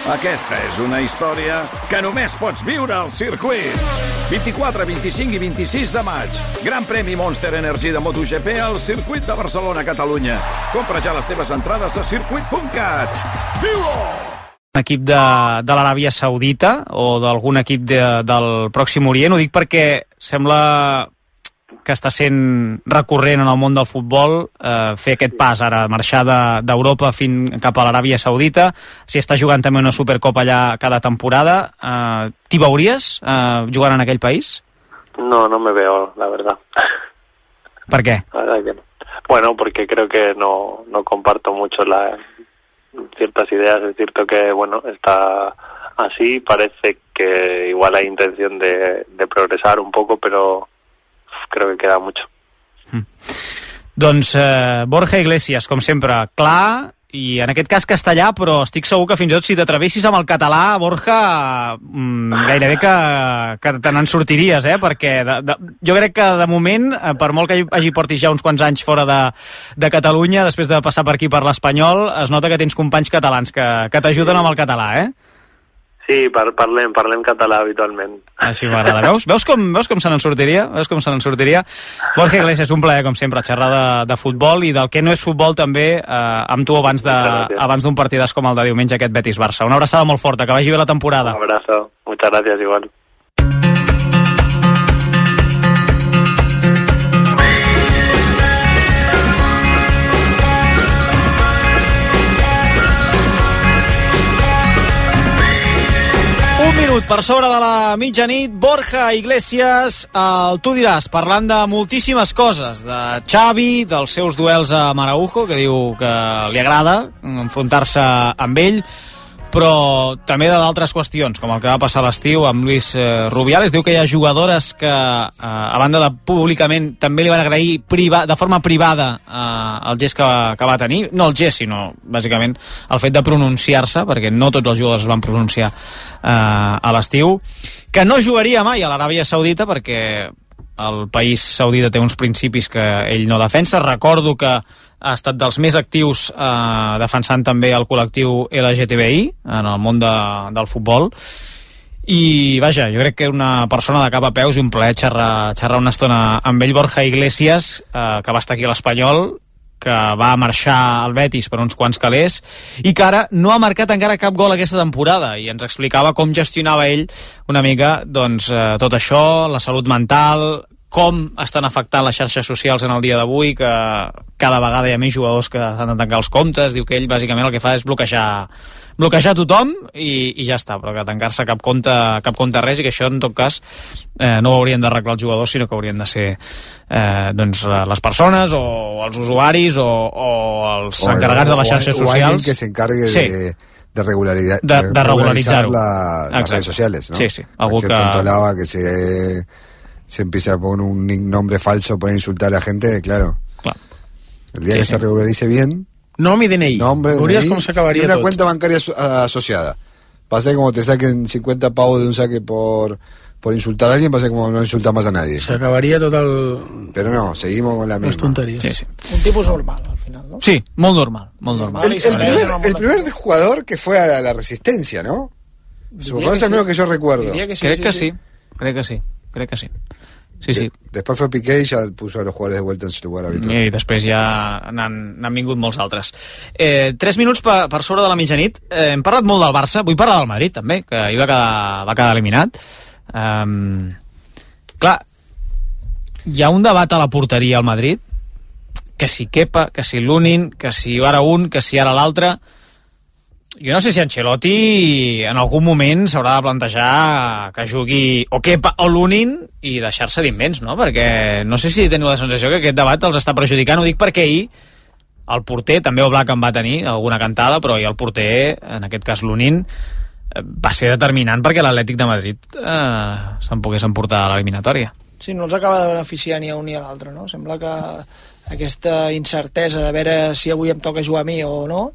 Aquesta és una història que només pots viure al circuit. 24, 25 i 26 de maig. Gran premi Monster Energy de MotoGP al circuit de Barcelona, Catalunya. Compra ja les teves entrades a circuit.cat. Viu-ho! Equip de l'Aràbia Saudita o d'algun equip del Pròxim Orient. Ho dic perquè sembla que està sent recurrent en el món del futbol fer aquest pas ara, marxar d'Europa cap a l'Aràbia Saudita. Si està jugant també una Supercopa allà cada temporada, t'hi veuries jugant en aquell país? No me veo, la verdad. ¿Por qué? La verdad que no. Bueno, porque creo que no comparto mucho ciertas ideas. Es cierto que, bueno, está así, parece que igual hay intención de progresar un poco, pero creo que queda mucho. Doncs Borja Iglesias, com sempre, clar, i en aquest cas castellà, però estic segur que fins i tot si t'atrevessis amb el català, Borja, gairebé que te n'en sortiries, perquè jo crec que de moment, per molt que portis ja uns quants anys fora de Catalunya, després de passar per aquí per l'espanyol, es nota que tens companys catalans que t'ajuden amb el català, Sí, parlem català habitualment. Així m'agrada. Veus com se n'en sortiria? Borja Iglesias, un plaer, com sempre, xerrar de futbol i del que no és futbol també amb tu abans d'un partidàs com el de diumenge, aquest Betis-Barça. Una abraçada molt forta, que vagi bé la temporada. Un abrazo, muchas gracias, igual. Per sobre de la mitjanit, Borja Iglesias, tu diràs, parlant de moltíssimes coses, de Xavi, dels seus duels a Araujo, que diu que li agrada enfrontar-se amb ell, però també d'altres qüestions, com el que va passar a l'estiu amb Luis Rubiales. Diu que hi ha jugadores que, a banda de públicament, també li van agrair de forma privada el gest que va tenir. No el gest, sinó, bàsicament, el fet de pronunciar-se, perquè no tots els jugadors es van pronunciar a l'estiu, que no jugaria mai a l'Aràbia Saudita perquè el país saudita té uns principis que ell no defensa. Recordo que ha estat dels més actius defensant també el col·lectiu LGTBI en el món del futbol. I vaja, jo crec que una persona de cap a peus i un plaer xerrar una estona amb ell. Borja Iglesias, que va estar aquí a l'Espanyol, que va marxar al Betis per uns quants calés i que ara no ha marcat encara cap gol aquesta temporada, i ens explicava com gestionava ell una mica tot això, la salut mental, com estan afectant les xarxes socials en el dia d'avui, que cada vegada hi ha més jugadors que s'han de tancar els comptes. Diu que ell bàsicament el que fa és bloquejar tothom i ja està, però que tancar-se cap compte res, i que això en tot cas no ho haurien d'arreglar els jugadors, sinó que haurien de ser les persones o els usuaris o els encarregats de les xarxes socials. O alguien que se encargue de regularizar las redes sociales, ¿no? Sí. Algo que controlaba que se empieza a poner un nombre falso para insultar a la gente, claro. El día que se regularice bien, nom i DNI. Veuries com s'acabaria tot. Y una tot. cuenta bancaria asociada. Pasa como te saquen 50 pavos de un saque por insultar a alguien, pasa como no insultar más a nadie. S'acabaria tot el... Pero no, seguimos con la misma. Les tonteries. Sí. Un tipus normal, al final, ¿no? Sí, molt normal. El primer jugador que fue a la Resistencia, ¿no? Supongo que es lo que yo recuerdo. Crec que sí. Sí. Después fue Piqué y ya puso a los jugadores de vuelta en su lugar habitual. I després ja n'han vingut molts altres. 3 minuts per sobre de la mitjanit. Hem parlat molt del Barça, vull parlar del Madrid també, que ahir va quedar eliminat. Clar, hi ha un debat a la porteria al Madrid, que si Kepa, que si Lunin, que si ara un, que si ara l'altre. Jo no sé si Ancelotti en algun moment s'haurà de plantejar que jugui o Kepa o Lunin i deixar-se d'invents, no? Perquè no sé si teniu la sensació que aquest debat els està perjudicant. Ho dic perquè ahir el porter, també Oblak en va tenir alguna cantada, però ahir el porter, en aquest cas Lunin, va ser determinant perquè l'Atlètic de Madrid se'n pogués emportar a l'eliminatòria. Sí, no els acaba de beneficiar ni a un ni a l'altre, no? Sembla que aquesta incertesa de veure si avui em toca jugar a mi o no,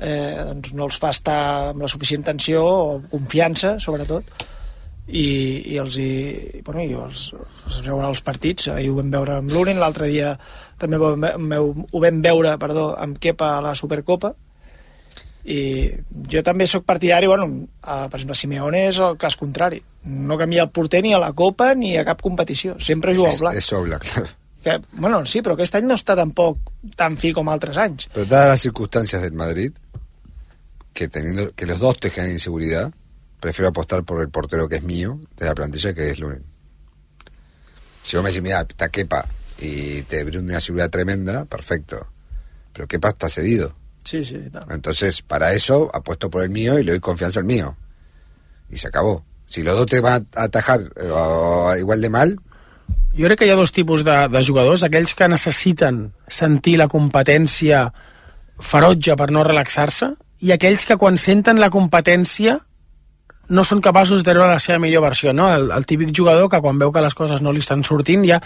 doncs no els fa estar amb la suficient tensió o confiança, sobretot, i els veuen els partits. Ahir ho vam veure amb Lunin, l'altre dia també ho vam veure amb Kepa a la Supercopa, I jo també sóc partidari, per exemple, Simeone és el cas contrari, no canvia el porter ni a la Copa ni a cap competició, sempre juga al blanc. És Oblak, claro. Sí, però aquest any no està tampoc tan fi com altres anys. Pero dadas las circunstancias del Madrid, que los dos te generan inseguridad, prefiero apostar por el portero que es mío, de la plantilla, que es Lunin. Si vos me decís, mira, está Kepa y te brinda una seguridad tremenda, perfecto. Pero Kepa está cedido. Sí, tal. Entonces, para eso, apuesto por el mío y le doy confianza al mío. Y se acabó. Si los dos te van a atajar igual de mal... Jo crec que hi ha dos tipus de jugadors, aquells que necessiten sentir la competència ferotge per no relaxar-se, i aquells que quan senten la competència no són capaços de treure la seva millor versió, no? El típic jugador que quan veu que les coses no li estan sortint ja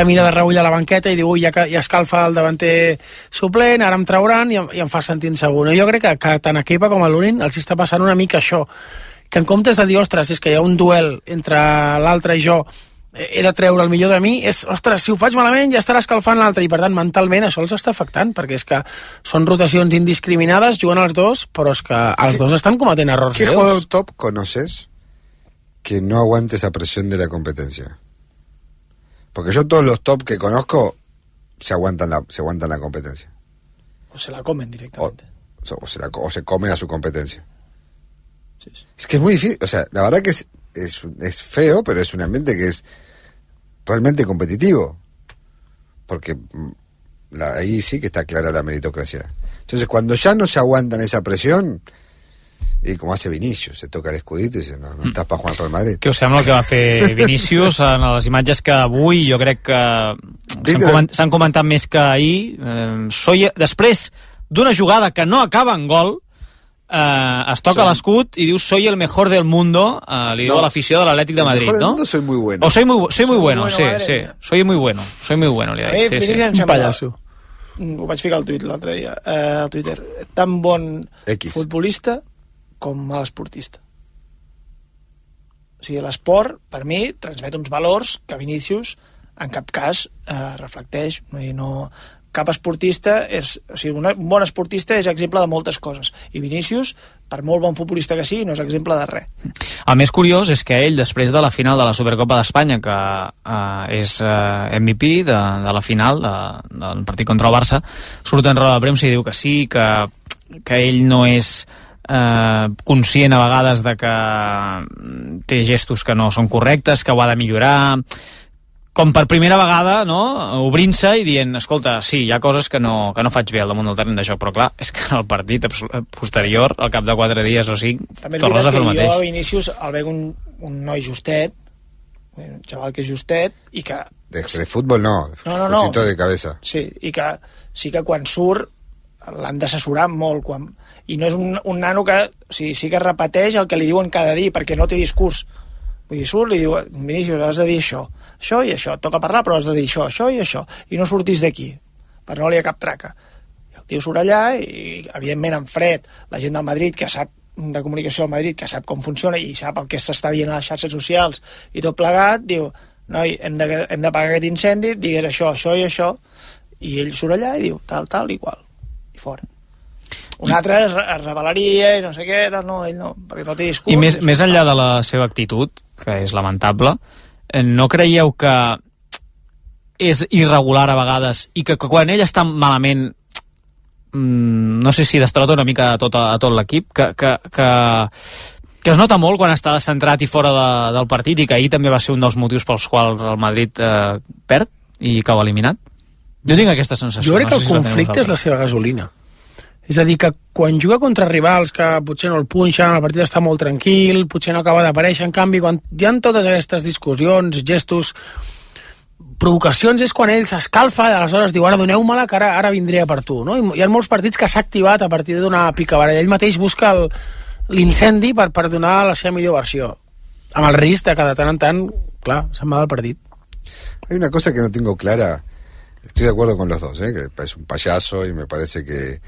mira de reull a la banqueta i diu, ja escalfa el davanter suplent, ara em trauran i em fa sentir insegur. Jo crec que tant a Kepa com a Lunin els està passant una mica això, que en comptes de dir, ostres, és que hi ha un duel entre l'altre i jo, he de treure el millor de mi, ostres, si ho faig malament ja estarà escalfant l'altre, i per tant mentalment això els està afectant, perquè és que són rotacions indiscriminades, juguen els dos, però és que els dos estan cometent errors greus. ¿Qué jugador top conoces que no aguante esa presión de la competencia? Porque yo todos los top que conozco se aguantan la competencia. O se la comen directamente. O se comen a su competencia. Sí. Es que es muy difícil, o sea, la verdad que es feo, pero es un ambiente que es realmente competitivo, porque ahí sí que está clara la meritocracia. Entonces, cuando ya no se aguantan esa presión, i com hace Vinícius, se toca l'escudito i dice, no estàs per jugar pel Madrid. Què us sembla el que va fer Vinícius en les imatges que avui jo crec que s'han comentat més que ahir? Després d'una jugada que no acaba en gol, es toca l'escut i diu soy el mejor del mundo, li diu a l'afició de l'Atlètic de Madrid, el mejor del mundo soy muy bueno. O soy muy bueno, sí, soy muy bueno, li ha dit. Un pallasso. Ho vaig ficar al tuit l'altre dia, al Twitter. Tan bon futbolista com mal esportista. O sigui, l'esport, per mi, transmet uns valors que Vinícius en cap cas reflecteix. No, cap esportista un bon esportista és exemple de moltes coses, i Vinícius, per molt bon futbolista que sigui, no és exemple de res. El més curiós és que ell, després de la final de la Supercopa d'Espanya, que és MVP de la final del partit contra el Barça, surt en roda de premsa i diu que sí, que ell no és conscient a vegades de que té gestos que no són correctes, que ho ha de millorar, com per primera vegada, no?, obrint-se i dient, escolta, sí, hi ha coses que no faig bé al damunt del terreny de joc, però clar, és que en el partit posterior, al cap de 4 dies o 5, tornes a fer el mateix. Jo a Vinícius el veig un noi justet, un xaval que és justet, i que... De futbol no, justito de cabeza. Sí, i que sí que quan surt l'han d'assessorar molt, i no és un nano que sí que repeteix el que li diuen cada dia, perquè no té discurs. Vull dir, surt i diu, Vinícius, has de dir això i això, et toca parlar, però has de dir això i això, i no surtis d'aquí, per no li ha cap traca. I el tio surt allà i, evidentment, en fred, la gent del Madrid, que sap de comunicació del Madrid, que sap com funciona i sap el que s'està dient a les xarxes socials i tot plegat, diu, noi, hem de pagar aquest incendi, digues això i això, i ell surt allà i diu, tal, igual, i fora. Un altre es rebel·laria i no sé què, no, ell no, perquè no té discurs. I més enllà de la seva actitud, que és lamentable, no creieu que és irregular a vegades i que quan ell està malament, no sé si destrota una mica a tot l'equip, que es nota molt quan està descentrat i fora del partit, i que ahir també va ser un dels motius pels quals el Madrid perd i cau eliminat? Jo tinc aquesta sensació. Jo crec que el conflicte és la seva gasolina. És a dir, que quan juga contra rivals que potser no el punxen, el partit està molt tranquil, potser no acaba d'aparèixer, en canvi, quan hi ha totes aquestes discussions, gestos, provocacions, és quan ell s'escalfa i aleshores diu, ara doneu-me-la que ara vindré per tu, no? I hi ha molts partits que s'ha activat a partir d'una picabaralla. Ell mateix busca l'incendi per donar la seva millor versió, amb el risc de que de tant en tant, clar, se'n va del partit. Hay una cosa que no tengo clara, estoy de acuerdo con los dos, que es un payaso y me parece que,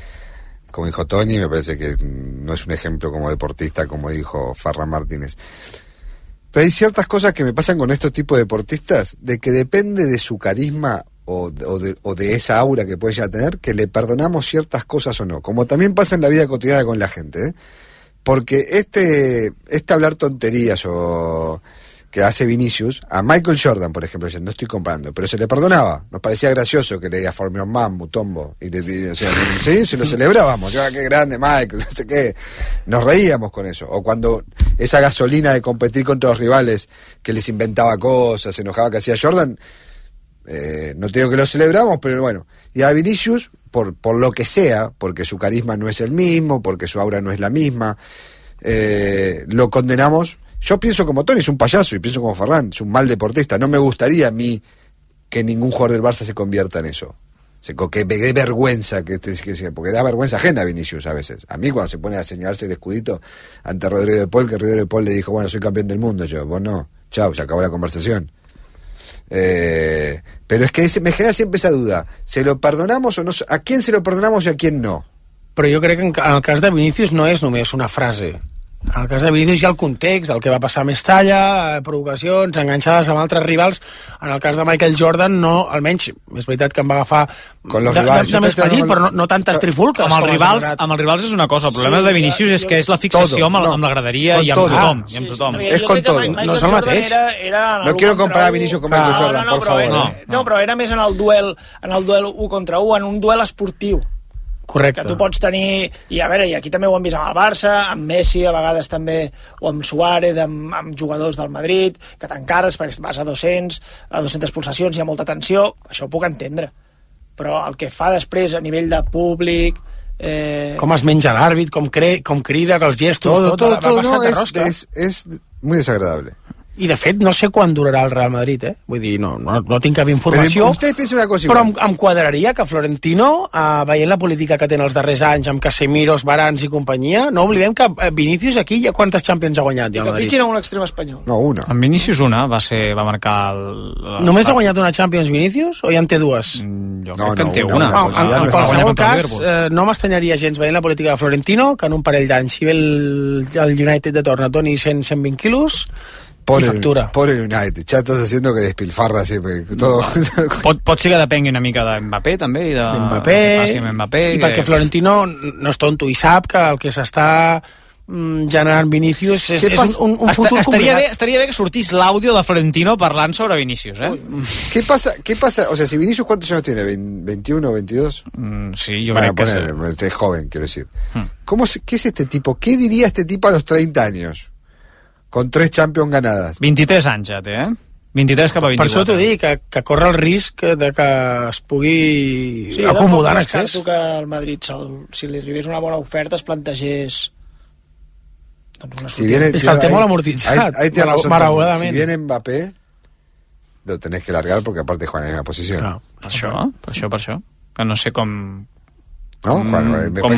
como dijo Tony, me parece que no es un ejemplo como deportista, como dijo Ferran Martínez. Pero hay ciertas cosas que me pasan con estos tipos de deportistas, de que depende de su carisma o de esa aura que puede ya tener, que le perdonamos ciertas cosas o no, como también pasa en la vida cotidiana con la gente, ¿eh? Porque este hablar tonterías o que hace Vinicius, a Michael Jordan, por ejemplo, no estoy comparando, pero se le perdonaba, nos parecía gracioso que le diga For Your Mom, Mutombo, o sea, sí, se lo celebrábamos, qué grande Michael, no sé qué, nos reíamos con eso, o cuando esa gasolina de competir contra los rivales, que les inventaba cosas, se enojaba que hacía Jordan, no te digo que lo celebramos, pero bueno, y a Vinicius, por lo que sea, porque su carisma no es el mismo, porque su aura no es la misma, lo condenamos. Yo pienso como Tony, es un payaso, y pienso como Ferran, es un mal deportista. No me gustaría a mí que ningún jugador del Barça se convierta en eso. Que me dé vergüenza, porque da vergüenza ajena a Vinicius a veces. A mí cuando se pone a señalarse el escudito ante Rodrigo de Paul, que Rodrigo de Paul le dijo, bueno, soy campeón del mundo, vos no, chao, se acabó la conversación. Pero es que me genera siempre esa duda, ¿se lo perdonamos o no? ¿A quién se lo perdonamos y a quién no? Però jo crec que en el cas de Vinícius no és només una frase. En el cas de Vinícius hi ha el context, el que va passar a Mestalla, provocacions, enganxades amb altres rivals. En el cas de Michael Jordan, no, almenys, és veritat que em va agafar de més petit, però no tantes trifulques. Amb els rivals és una cosa, el problema de Vinícius és que és la fixació amb la graderia i amb tothom. És con todo. No és el mateix. No quiero comparar a Vinícius con Michael Jordan, por favor. No, però era més en el duel 1 contra 1, en un duel esportiu. Correcte. Que tu pots tenir, i a veure, i aquí també ho hem vist amb el Barça, amb Messi a vegades també, o amb Suárez, amb jugadors del Madrid, que t'encares perquè vas a 200 pulsacions, hi ha molta tensió, això ho puc entendre, però el que fa després a nivell de públic, com es menja l'àrbit, com crida, que els gestos, tot va passar de rosca. És muy desagradable. I de fet no sé quan durarà el Real Madrid, vull dir, no tinc cap informació, però em quadraria que Florentino, veient la política que tenen els darrers anys amb Casemiros, Varans i companyia, no oblidem que Vinícius aquí ja quantes Champions ha guanyat? I que fitxin a un extrem espanyol. No, una. En Vinícius una va marcar Només ha guanyat una Champions Vinícius o ja en té dues? Jo crec que en té una. En qualsevol cas, no m'estanyaria gens veient la política de Florentino que en un parell d'anys, si ve el United de torn et doni 120 quilos Pobre United, ja estàs haciendo que despilfarra siempre todo. Pot ser que depengui una mica de Mbappé també, i Mbappé, i perquè Florentino no és tonto i sap que el que s'està generant Vinícius és un futur complicat. Estaria bé que sortís l'àudio de Florentino parlant sobre Vinícius, ¿Qué pasa? O sea, si Vinícius, ¿cuántos años tiene? ¿21 o 22? Sí, yo creo que es joven, quiero decir. ¿Qué es este tipo? ¿Qué diría este tipo a los 30 años? Con 3 Champions ganadas. 23 anys ja té, 23 cap a 24. Per això t'ho dic, que corre el risc de que es pugui acomodar en excés. Sí, que el Madrid, si li arribés una bona oferta, es plantegés una sortida. És que el té molt amortitzat, Si viene Mbappé, lo tenés que largar porque aparte juega en la misma posición. Per això. Que no sé com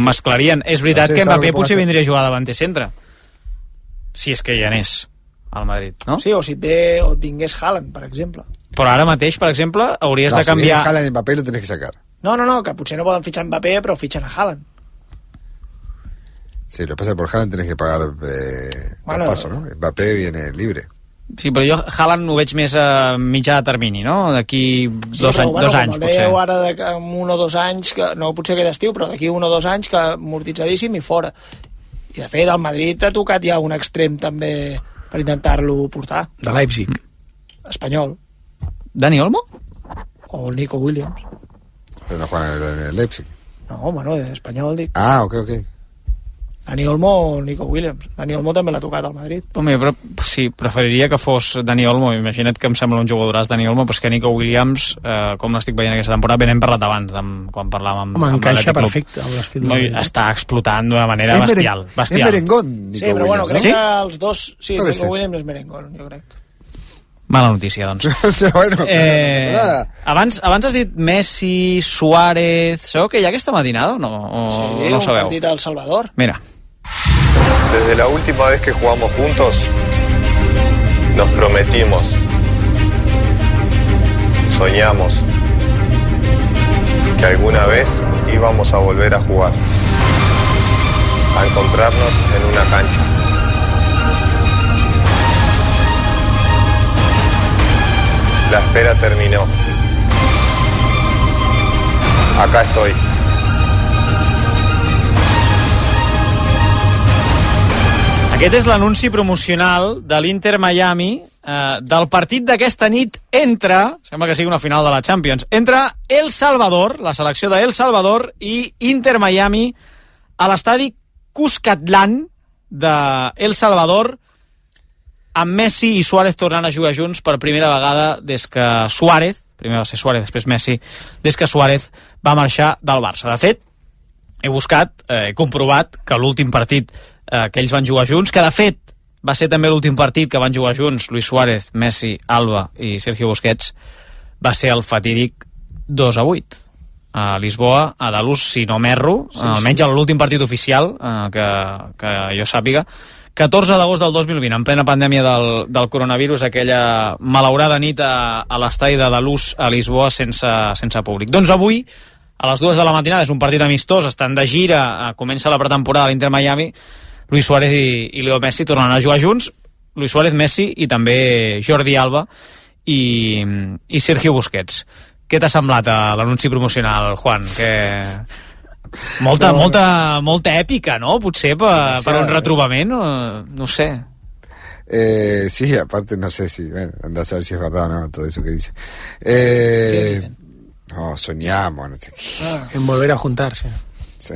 mesclarien. És veritat que Mbappé potser vindria a jugar davanter centre. Si és que ja n'és al Madrid, no? Sí, o si et vingués Haaland, per exemple. Però ara mateix, per exemple, hauries de canviar... Si viene Haaland y Mbappé lo tenés que sacar. No, que potser no poden fitxar Mbappé, però fitxen a Haaland. Sí, lo que pasa es que por Haaland tenés que pagar paso, ¿no? Mbappé viene libre. Sí, però jo Haaland ho veig més a mitjà termini, no? D'aquí dos anys, potser. Com dèieu ara, en 1 o 2 anys, que no potser aquest estiu, però d'aquí 1 o 2 anys, que amortitzadíssim i fora. I de fet el Madrid ha tocat ja un extrem també per intentar-lo portar. De Leipzig. Espanyol. Dani Olmo? O Nico Williams. Però no juega en el Leipzig. No, bueno, d'espanyol dic. Ok. Dani Olmo o Nico Williams. Dani Olmo també l'ha tocat al Madrid. Home, però sí, preferiria que fos Dani Olmo. Imagina't que em sembla un jugadoràs Dani Olmo, però és que Nico Williams, com l'estic veient aquesta temporada, ben hem parlat abans, quan parlàvem amb encaixa perfecte amb l'estil de està explotant d'una manera bestial. És merengón, Nico Williams. Sí, però bueno, crec que els dos... Sí, Nico Williams és merengón, jo crec. Mala notícia, doncs. Abans has dit Messi, Suárez... Sabeu que hi ha aquesta matinada o no? Sí, no sabeu? Un partit al Salvador. Mira. Desde la última vez que jugamos juntos, nos prometimos, soñamos que alguna vez íbamos a volver a jugar, a encontrarnos en una cancha. La espera terminó acá estoy. Aquest és l'anunci promocional de l'Inter Miami del partit d'aquesta nit entre, sembla que sigui una final de la Champions, entre El Salvador, la selecció de El Salvador, i Inter Miami a l'estadi Cuscatlán de El Salvador, amb Messi i Suárez tornant a jugar junts per primera vegada des que Suárez, primer va ser Suárez, després Messi, des que Suárez va marxar del Barça. De fet, he buscat, he comprovat que l'últim partit que ells van jugar junts, que de fet va ser també l'últim partit que van jugar junts Luis Suárez, Messi, Alba i Sergio Busquets, va ser el fatídic 2-8 a Lisboa, a Dalús, si no m'erro, almenys l'últim partit oficial que jo sàpiga, 14 d'agost del 2020, en plena pandèmia del coronavirus, aquella malaurada nit a l'estadi de Dalús a Lisboa sense públic. Doncs avui, a les 2 de la matinada, és un partit amistós, estan de gira, comença la pretemporada a l'Inter Miami, Luis Suárez i Leo Messi tornen a jugar junts, Luis Suárez, Messi i també Jordi Alba i Sergio Busquets. Què t'ha semblat l'anunci promocional, Juan? Molta èpica, ¿no? Potser per un retrobament, no sé. Sí, aparte no sé si, bueno, anda a saber si es verdad o no todo eso que dice. No, soñamos, no sé qué. En volver a juntarse. Sí,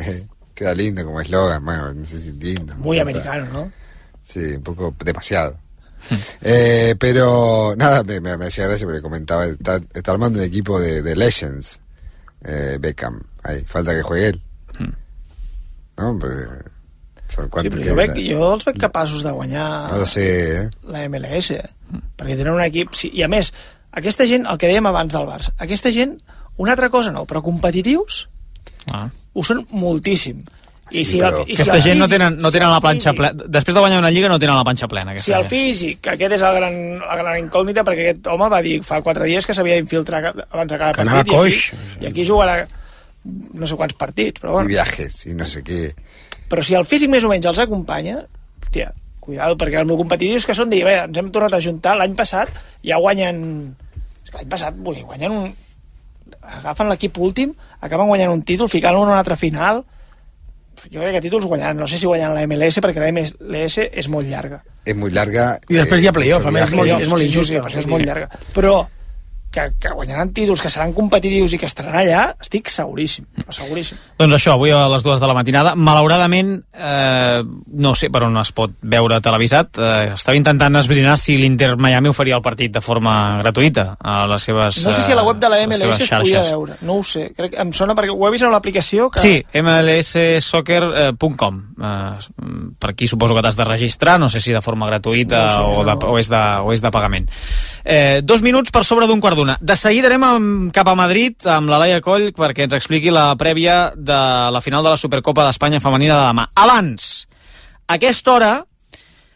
queda lindo como eslogan, bueno, no sé si lindo. Muy americano, ¿no? Sí, un poco demasiado. Pero nada, me hacía gracia porque comentaba, está armando un equipo de Legends, Beckham, ahí, falta que juegue él. No, porque sí, però jo els veig capaços de guanyar no lo sé, la MLS, perquè tenen un equip, sí, i a més aquesta gent, el que dèiem abans del Barça, aquesta gent, una altra cosa no, però competitius ho són moltíssim. I sí, aquesta gent no tenen la planxa plena. Després de guanyar una lliga no tenen la planxa plena. Si el físic, aquest és la gran incògnita, perquè aquest home va dir fa 4 dies que s'havia d'infiltrar abans de cada partit i aquí jugarà no sé quants partits, però bueno. I viajes, i no sé què. Però si el físic més o menys els acompanya, hòstia, cuidado, perquè els competitius que són dir, bé, ens hem tornat a juntar, l'any passat ja guanyen... L'any passat, guanyen agafen l'equip últim, acaben guanyant un títol, ficant-lo en una altra final. Jo crec que títols guanyaran, no sé si guanyen la MLS, perquè la MLS és molt llarga. És molt llarga. I després hi ha playoff, a més, és molt injust. Sí, és molt llarga. Però que guanyaran títols, que seran competitius i que estaran allà, estic seguríssim. Doncs això, avui a les 2 de la matinada, malauradament, no sé per on es pot veure televisat, estava intentant esbrinar si l'Inter Miami oferia el partit de forma gratuïta a les seves no sé si a la web de la MLS es podia veure, no ho sé, crec, em sona perquè ho he vist en l'aplicació que... Sí, mlssoccer.com per aquí suposo que t'has de registrar, no sé si de forma gratuïta o és de pagament. 2 minuts per sobre d'un quart d'una. De seguida anem cap a Madrid amb la Laia Coll perquè ens expliqui la prèvia de la final de la Supercopa d'Espanya femenina de demà. Abans, a aquesta hora,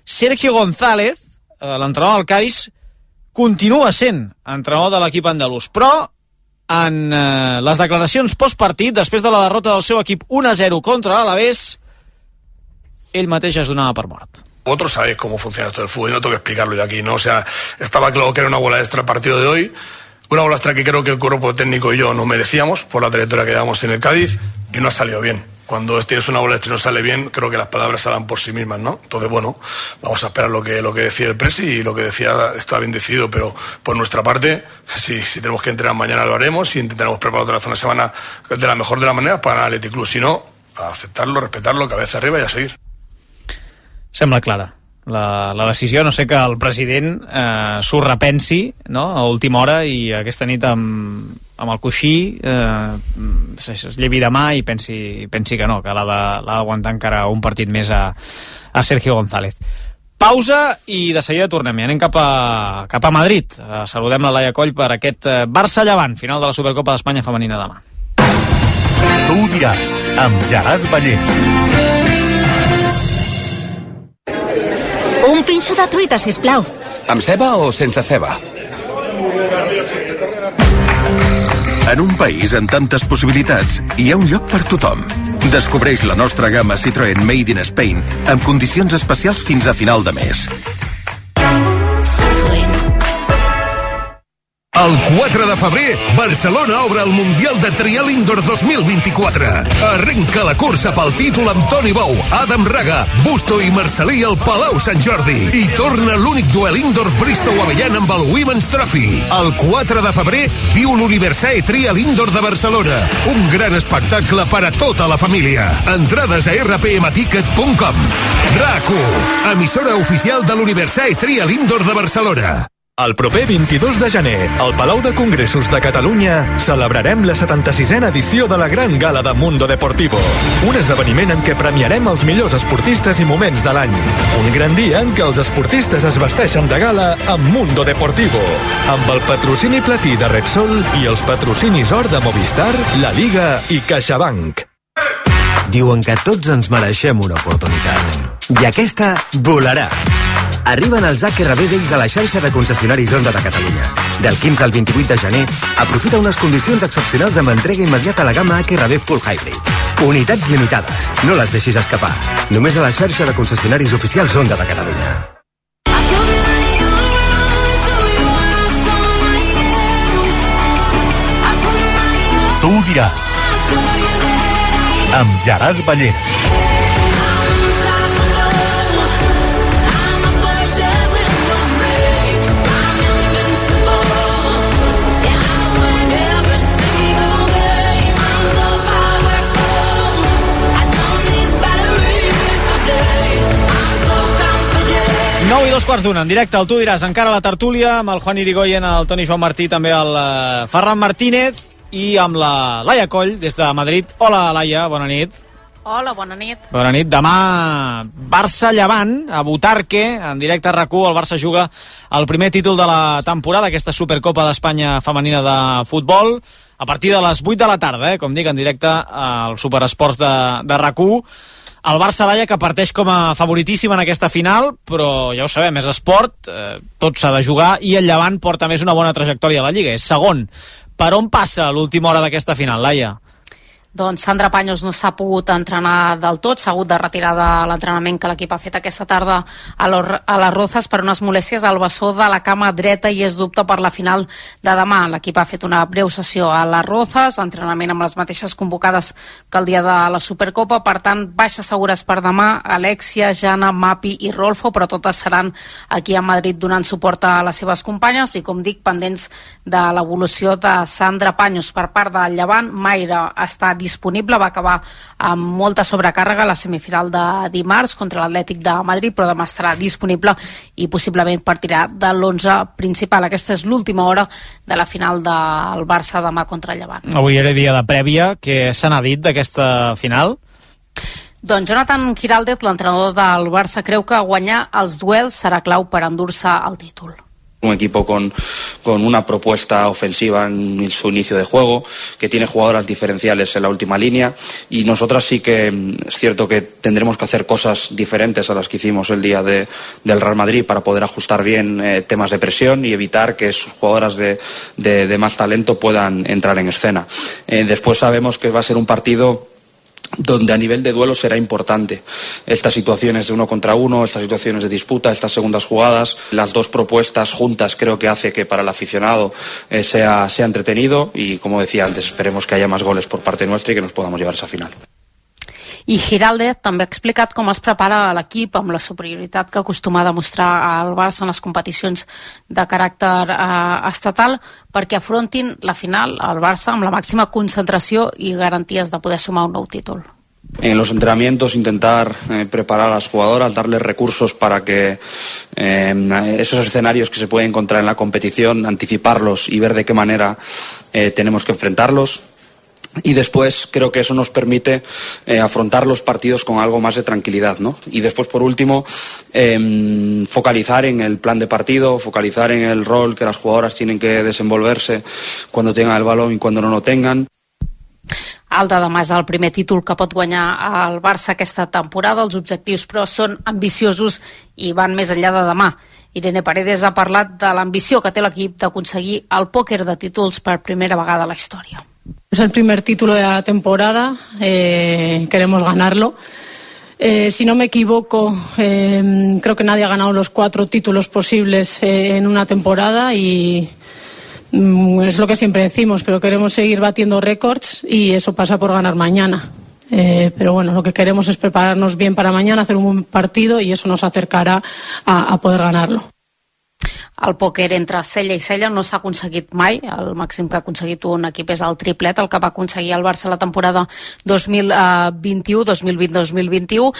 Sergio González, l'entrenador del Cádiz, continua sent entrenador de l'equip andalús, però en les declaracions postpartit, després de la derrota del seu equip 1-0 contra l'Alavés, ell mateix es donava per mort. Vosotros sabéis cómo funciona esto del fútbol, y no tengo que explicarlo yo aquí, ¿no? O sea, estaba claro que era una bola extra el partido de hoy, una bola extra que creo que el cuerpo técnico y yo nos merecíamos por la trayectoria que llevamos en el Cádiz, y no ha salido bien. Cuando tienes una bola extra y no sale bien, creo que las palabras hablan por sí mismas, ¿no? Entonces, bueno, vamos a esperar lo que decía el Presi, y lo que decía está bien decidido, pero por nuestra parte, si tenemos que entrenar mañana lo haremos, y intentaremos preparar otra vez una semana de la mejor de las maneras para ganar el Athletic Club. Si no, a aceptarlo, respetarlo, cabeza arriba y a seguir. Sembla clara la decisió, no sé que el president s'ho repensi, no?, a última hora, i aquesta nit amb el coixí es llevi demà i pensi que no, que l'ha d'aguantar encara un partit més a Sergio González. Pausa i de seguida tornem. I anem cap a Madrid. Saludem la Laia Coll per aquest Barça-Llevant, final de la Supercopa d'Espanya femenina demà. Tu ho diràs, amb Gerard Ballent. Un pinxo de truita, sisplau. Amb ceba o sense ceba? En un país amb tantes possibilitats, hi ha un lloc per tothom. Descobreix la nostra gamma Citroën Made in Spain amb condicions especials fins a final de mes. El 4 de febrer, Barcelona obre el Mundial de Trial Indoor 2024. Arrenca la cursa pel títol amb Toni Bou, Adam Raga, Busto i Marcelí al Palau Sant Jordi. I torna l'únic duel indoor Bristow-Avellan amb el Women's Trophy. El 4 de febrer viu l'Universae Trial Indoor de Barcelona. Un gran espectacle per a tota la família. Entrades a rpmticket.com. RAC1, emissora oficial de l'Universae Trial Indoor de Barcelona. El proper 22 de gener, al Palau de Congressos de Catalunya, celebrarem la 76a edició de la Gran Gala de Mundo Deportivo. Un esdeveniment en què premiarem els millors esportistes i moments de l'any. Un gran dia en què els esportistes es vesteixen de gala amb Mundo Deportivo, amb el patrocini platí de Repsol i els patrocinis or de Movistar, La Liga i CaixaBank. Diuen que tots ens mereixem una oportunitat. I aquesta volarà. Arriben els HRB Days a la xarxa de concessionaris Honda de Catalunya. Del 15 al 28 de gener, aprofita unes condicions excepcionals amb entrega immediata a la gamma HRB Full Hybrid. Unitats limitades. No les deixis escapar. Només a la xarxa de concessionaris oficials Honda de Catalunya. Tu ho diràs. Amb Gerard Ballera. Nou i 2:15, en directe al Tu diràs, encara la tertúlia, amb el Juan Irigoyen, el Toni Joan Martí, també el Ferran Martínez, i amb la Laia Coll, des de Madrid. Hola, Laia, bona nit. Hola, bona nit. Bona nit. Demà, Barça-Llevant, a Butarque, en directe a RAC1. El Barça juga el primer títol de la temporada, aquesta Supercopa d'Espanya femenina de futbol, a partir de les 8 de la tarda, com dic, en directe al Superesports de RAC1. El Barça, Laia, que parteix com a favoritíssim en aquesta final, però ja ho sabem, és esport, tot s'ha de jugar, i el Llevant porta més una bona trajectòria a la Lliga, és segon. Per on passa l'última hora d'aquesta final, Laia? Doncs Sandra Paños no s'ha pogut entrenar del tot, s'ha hagut de retirar de l'entrenament que l'equip ha fet aquesta tarda a les Rozas per unes molèsties al bessó de la cama dreta i és dubte per la final de demà. L'equip ha fet una breu sessió a les Rozas, entrenament amb les mateixes convocades que el dia de la Supercopa, per tant, baixes segures per demà, Alexia, Jana, Mapi i Rolfo, però totes seran aquí a Madrid donant suport a les seves companyes i, com dic, pendents de l'evolució de Sandra Paños. Per part del Llevant, Mayra està disponible, va acabar amb molta sobrecàrrega la semifinal de dimarts contra l'Atlètic de Madrid, però demà estarà disponible i possiblement partirà de l'11 principal. Aquesta és l'última hora de la final del Barça demà contra el Llevant. Avui era dia de prèvia. Què se n'ha dit d'aquesta final? Doncs Jonathan Giraldez, l'entrenador del Barça, creu que guanyar els duels serà clau per endur-se el títol. Un equipo con una propuesta ofensiva en su inicio de juego, que tiene jugadoras diferenciales en la última línea, y nosotras sí que es cierto que tendremos que hacer cosas diferentes a las que hicimos el día del Real Madrid para poder ajustar bien temas de presión y evitar que sus jugadoras de más talento puedan entrar en escena. Después sabemos que va a ser un partido donde a nivel de duelo será importante estas situaciones de 1 contra 1, estas situaciones de disputa, estas segundas jugadas. Las dos propuestas juntas creo que hace que para el aficionado sea entretenido y, como decía antes, esperemos que haya más goles por parte nuestra y que nos podamos llevar esa final. I Giraldez també ha explicat com es prepara l'equip amb la superioritat que acostuma a demostrar el Barça en les competicions de caràcter estatal perquè afrontin la final al Barça amb la màxima concentració i garanties de poder sumar un nou títol. En los entrenamientos intentar preparar a las jugadoras, darles recursos para que esos escenarios que se pueden encontrar en la competición, anticiparlos y ver de qué manera tenemos que enfrentarlos. Y después creo que eso nos permite afrontar los partidos con algo más de tranquilidad, ¿no? Y después, por último, focalizar en el plan de partido, focalizar en el rol que las jugadoras tienen que desenvolverse cuando tengan el balón y cuando no lo tengan. El de demà és el primer títol que pot guanyar el Barça aquesta temporada. Els objectius, però, són ambiciosos i van més enllà de demà. Irene Paredes ha parlat de l'ambició que té l'equip d'aconseguir el pòquer de títols per primera vegada a la història. Es el primer título de la temporada, queremos ganarlo. Si no me equivoco, creo que nadie ha ganado los 4 títulos posibles en una temporada y Es lo que siempre decimos, pero queremos seguir batiendo récords y eso pasa por ganar mañana. Pero bueno, lo que queremos es prepararnos bien para mañana, hacer un buen partido y eso nos acercará a poder ganarlo. El pòquer entre cella i cella no s'ha aconseguit mai. El màxim que ha aconseguit un equip és el triplet, el que va aconseguir el Barça la temporada 2021,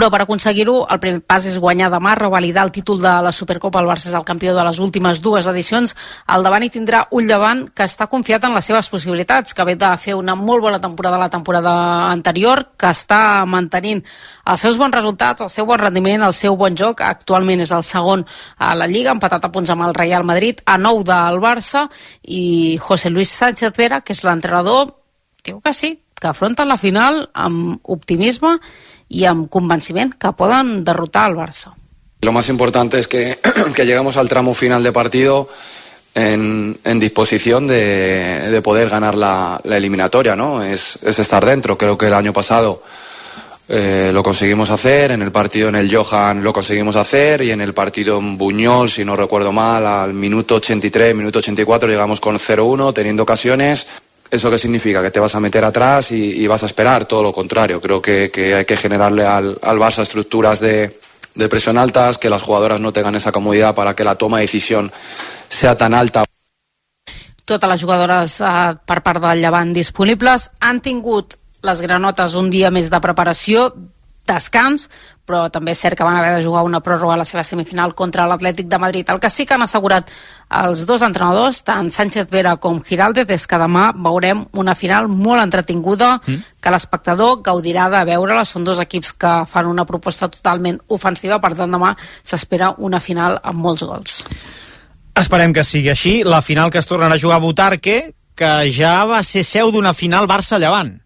però per aconseguir-ho el primer pas és guanyar demà, revalidar el títol de la Supercopa. El Barça és el campió de les últimes 2 edicions. Al davant hi tindrà un Llevant que està confiat en les seves possibilitats, que ve de fer una molt bona temporada la temporada anterior, que està mantenint els seus bons resultats, el seu bon rendiment, el seu bon joc. Actualment és el segon a la Lliga, empatat a punts amb el Real Madrid, a 9 del Barça, i José Luis Sánchez Vera, que és l'entrenador, diu que sí, que afronten la final amb optimisme y amb convenciment que poden derrotar al Barça. Lo más importante es que lleguemos al tramo final de partido en disposición de poder ganar la eliminatoria, ¿no? Es estar dentro. Creo que el año pasado lo conseguimos hacer, en el partido en el Johan lo conseguimos hacer y en el partido en Buñol, si no recuerdo mal, al minuto 83, minuto 84 llegamos con 0-1 teniendo ocasiones. ¿Eso qué significa? ¿Que te vas a meter atrás y vas a esperar? Todo lo contrario. Creo que hay que generarle al Barça estructuras de presión altas, que las jugadoras no tengan esa comodidad para que la toma de decisión sea tan alta. Totes les jugadores per part del Llevant disponibles han tingut les granotes un dia més de preparació, descans, però també és cert que van haver de jugar una pròrroga a la seva semifinal contra l'Atlètic de Madrid. El que sí que han assegurat els dos entrenadors, tant Sánchez Vera com Giraldez, és que demà veurem una final molt entretinguda, que l'espectador gaudirà de veure-la. Són dos equips que fan una proposta totalment ofensiva, per tant demà s'espera una final amb molts gols. Esperem que sigui així. La final que es tornarà a jugar a Butarque, que ja va ser seu d'una final Barça-Llevant.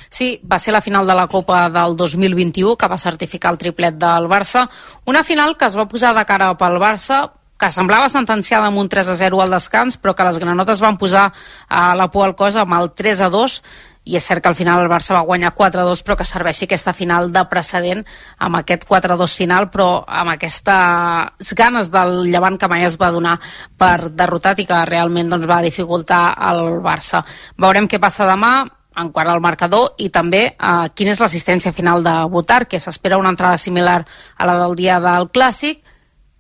Sí, va ser la final de la Copa del 2021 que va certificar el triplet del Barça. Una final que es va posar de cara pel Barça, que semblava sentenciada amb un 3-0 al descans, però que les granotes van posar la por al cos amb el 3-2, i és cert que al final el Barça va guanyar 4-2, però que serveixi aquesta final de precedent amb aquest 4-2 final, però amb aquestes ganes del Llevant que mai es va donar per derrotat i que realment doncs, va dificultar el Barça. Veurem què passa demà en quant al marcador i també quina és l'assistència final de Butarque, que s'espera una entrada similar a la del dia del Clàssic,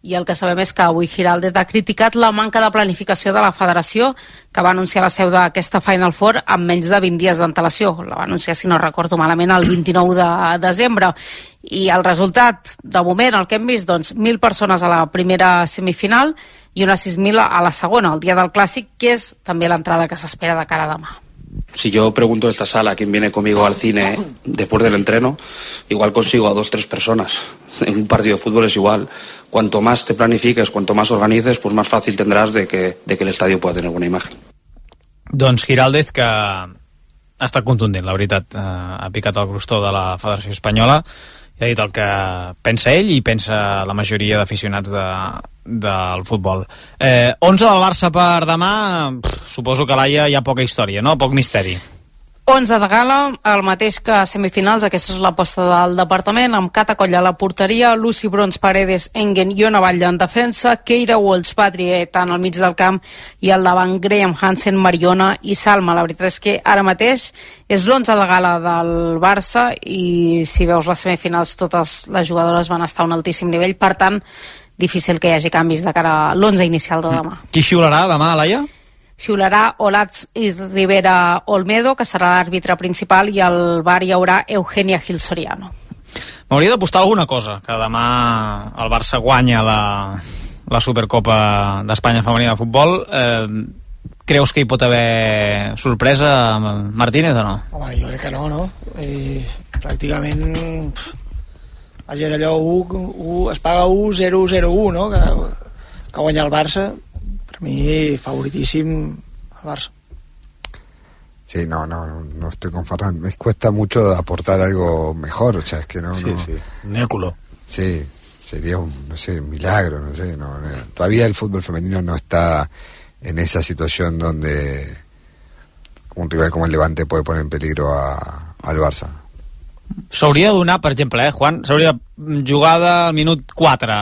i el que sabem és que avui Giraldez ha criticat la manca de planificació de la federació, que va anunciar la seu d'aquesta Final Four amb menys de 20 dies d'antelació. La va anunciar, si no recordo malament, el 29 de desembre. I el resultat, de moment, el que hem vist, doncs 1.000 persones a la primera semifinal i unes 6.000 a la segona, el dia del Clàssic, que és també l'entrada que s'espera de cara a demà. Si yo pregunto en esta sala quién viene conmigo al cine después del entreno, igual consigo a 2 o 3 personas. En un partido de fútbol es igual. Cuanto más te planifiques, cuanto más organices, pues más fácil tendrás de que el estadio pueda tener buena imagen. Doncs Giraldez, que ha estat contundent, la veritat, ha picat el crostó de la Federació Espanyola i ha dit el que pensa ell i pensa la majoria d'aficionats del futbol. 11 del Barça per demà, suposo que l'Aia hi ha poca història, no? Poc misteri. 11 de gala, el mateix que semifinals. Aquesta és l'aposta del departament, amb Cata Colla a la porteria, Lucy Brons, Paredes, Engen i Ona Batlle en defensa, Keira Walsh, Patrie tant al mig del camp, i al davant Graham Hansen, Mariona i Salma. La veritat és que ara mateix és l'11 de gala del Barça i si veus les semifinals totes les jugadores van estar a un altíssim nivell, per tant difícil que hi hagi canvis de cara a l'11 inicial de demà. Qui xiularà demà, Laia? Xiularà Olats i Rivera Olmedo, que serà l'àrbitre principal, i al bar hi haurà Eugenia Gil Soriano. M'hauria d'apostar alguna cosa, que demà el Barça guanya la Supercopa d'Espanya femenina de futbol. Creus que hi pot haver sorpresa, Martínez, o no? Home, jo crec que no? Pràcticament vaja, allò es paga 1-0-0-1, no? Que guanya el Barça. Per mi, favoritíssim el Barça. Sí, no estoy con Ferran. Me cuesta mucho aportar algo mejor, o sea, es que no... Sí. Néculo. Sí, sería un milagro, todavía el fútbol femenino no está en esa situación donde un rival como el Levante puede poner en peligro al Barça. S'hauria de donar, per exemple, Juan, s'hauria jugada al minut 4,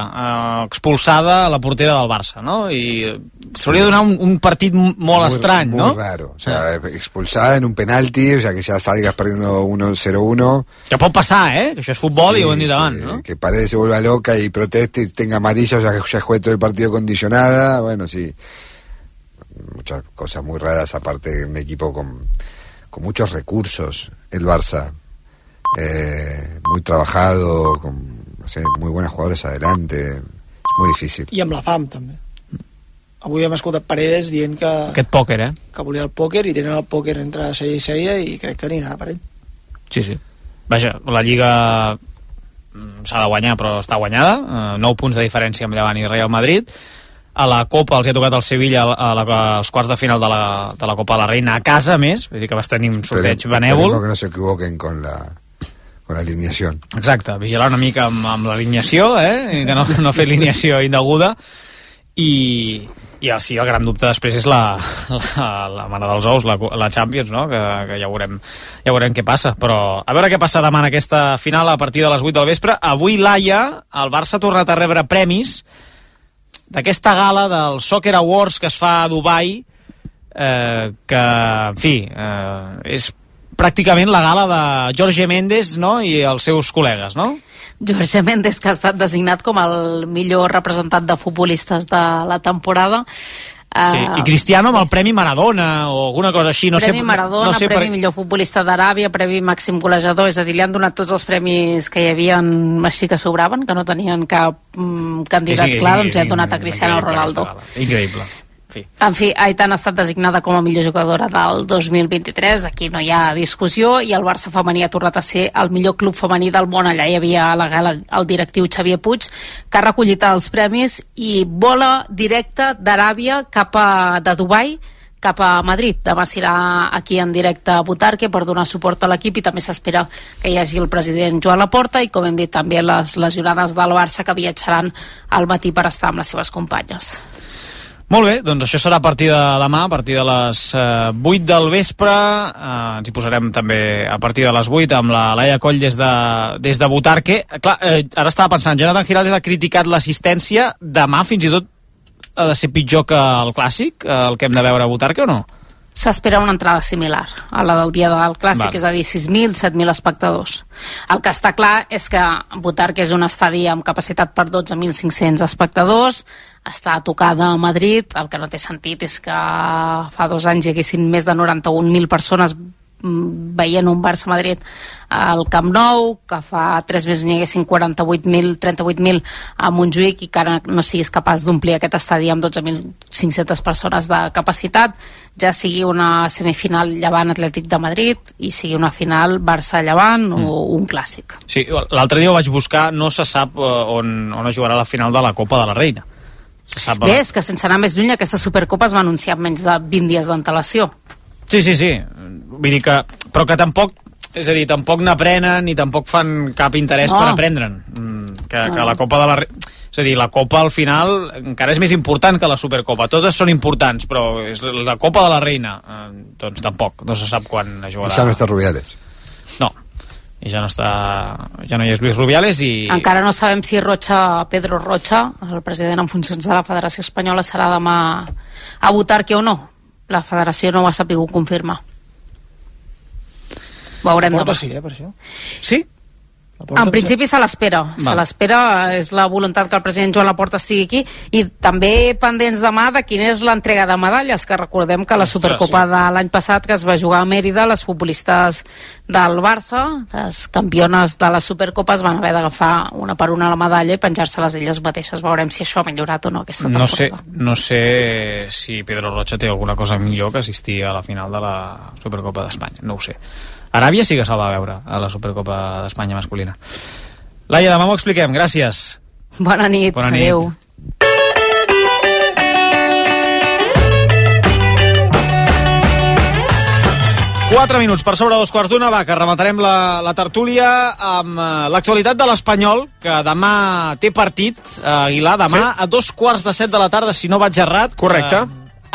expulsada a la portera del Barça, no? I s'hauria de donar un partit molt estrany, ¿no? Muy raro. O sea, expulsada en un penalti, o sea, que ya salgas perdiendo 1-0-1. Que pot passar, que això és futbol, sí, i ho hem dit abans, ¿no? Que Paredes se vuelva loca y proteste y tenga amarilla, o sea, que ya juegue todo el partido condicionada. Bueno, sí. Muchas cosas muy raras, aparte de un equipo con muchos recursos, el Barça. Muy trabajado, con muy buenos jugadores adelante. És molt difícil. I amb la fam, també. Avui hem escoltat Paredes dient que... Aquest pòquer, que volia el pòquer, i tenen el pòquer entre cella i cella, i crec que anirà per ell. Sí. Vaja, la Lliga s'ha de guanyar, però està guanyada. 9 punts de diferència amb Llevant i Real Madrid. A la Copa els ha tocat el Sevilla als quarts de final de la Copa de la Reina a casa, més. Vull dir que vas tenir un sorteig benèvol. Que no s'equivoquen con la alineació. Exacte, vigilar una mica amb l'alineació, i que no fer alineació indeguda. I sí, el gran dubte després és la mare dels ous, la Champions, no? Que ja veurem què passa. Però a veure què passa demà en aquesta final a partir de les 8 del vespre. Avui l'Haia, el Barça ha tornat a rebre premis d'aquesta gala del Soccer Awards que es fa a Dubai, que, en fi, és pràcticament la gala de Jorge Méndez, no?, i els seus col·legues, no? Jorge Méndez, que ha estat designat com el millor representant de futbolistes de la temporada. Sí, i Cristiano amb el Premi Maradona o alguna cosa així. Premi Maradona, Premi millor futbolista d'Aràbia, Premi màxim golejador, és a dir, li han donat tots els premis que hi havia així que sobraven, que no tenien cap candidat clar, doncs li han donat a Cristiano Ronaldo. Increïble. En fi, Aitana ha estat designada com a millor jugadora del 2023, aquí no hi ha discussió, i el Barça femení ha tornat a ser el millor club femení del món. Allà hi havia a la gala el directiu Xavier Puig, que ha recollit els premis i vola directe d'Aràbia de Dubai cap a Madrid. Demà serà aquí en directe a Butarque per donar suport a l'equip, i també s'espera que hi hagi el president Joan Laporta i, com hem dit, també les lesionades del Barça, que viatjaran al matí per estar amb les seves companyes. Molt bé, doncs això serà a partir de demà, a partir de les 8 del vespre. Ens hi posarem també a partir de les 8 amb la Laia Coll des de Butarque. Clar, ara estava pensant, Jonathan Giraldez ha criticat l'assistència. Demà fins i tot ha de ser pitjor que el Clàssic, el que hem de veure a Butarque, o no? S'espera una entrada similar a la del dia del Clàssic, és a dir, 6.000, 7.000 espectadors. El que està clar és que Butarque és un estadi amb capacitat per 12.500 espectadors, està tocada a Madrid. El que no té sentit és que fa 2 anys hi haguessin més de 91.000 persones veient un Barça-Madrid al Camp Nou, que fa 3 mesos n'hi haguessin 38.000 a Montjuïc, i que ara no siguis capaç d'omplir aquest estadi amb 12.500 persones de capacitat, ja sigui una semifinal Llevant Atlètic de Madrid i sigui una final Barça-Llevant o un Clàssic. Sí, l'altre dia ho vaig buscar, no se sap on es jugarà la final de la Copa de la Reina. Bé, és que sense anar més lluny, aquesta Supercopa es va anunciar amb menys de 20 dies d'antelació. Sí. Vull dir que... Però que tampoc... És a dir, tampoc n'aprenen ni tampoc fan cap interès per aprendre'n. Que la Copa de la... És a dir, la Copa al final encara és més important que la Supercopa. Totes són importants, però la Copa de la Reina doncs tampoc. No se sap quan es jugarà. I ja no està Rubiales. No. I ja no hi és Luis Rubiales i... Encara no sabem si Pedro Rocha, el president en funcions de la Federació Espanyola, serà demà a Butarque o no. La federació no ho ha sabut confirmar. Veurem demà. Sí, per això. Sí? En principi se l'espera. Se l'espera, és la voluntat que el president Joan Laporta estigui aquí, i també pendents demà de quina és l'entrega de medalles, que recordem que la Supercopa de l'any passat, que es va jugar a Mèrida, les futbolistes del Barça, les campiones de les Supercopes, van haver d'agafar una per una la medalla i penjar-se-les elles mateixes. Veurem si això ha millorat o no aquesta temporada. No sé si Pedro Rocha té alguna cosa millor que assistir a la final de la Supercopa d'Espanya, no ho sé. Aràbia sí que se'l va veure a la Supercopa d'Espanya masculina. Laia, demà m'ho expliquem, gràcies. Bona nit. Adéu. Quatre minuts per sobre 2:15, va, que rematarem la tertúlia amb l'actualitat de l'Espanyol, que demà té partit, Aguilar, demà a 2:15 de la tarda, si no vaig errat. Correcte.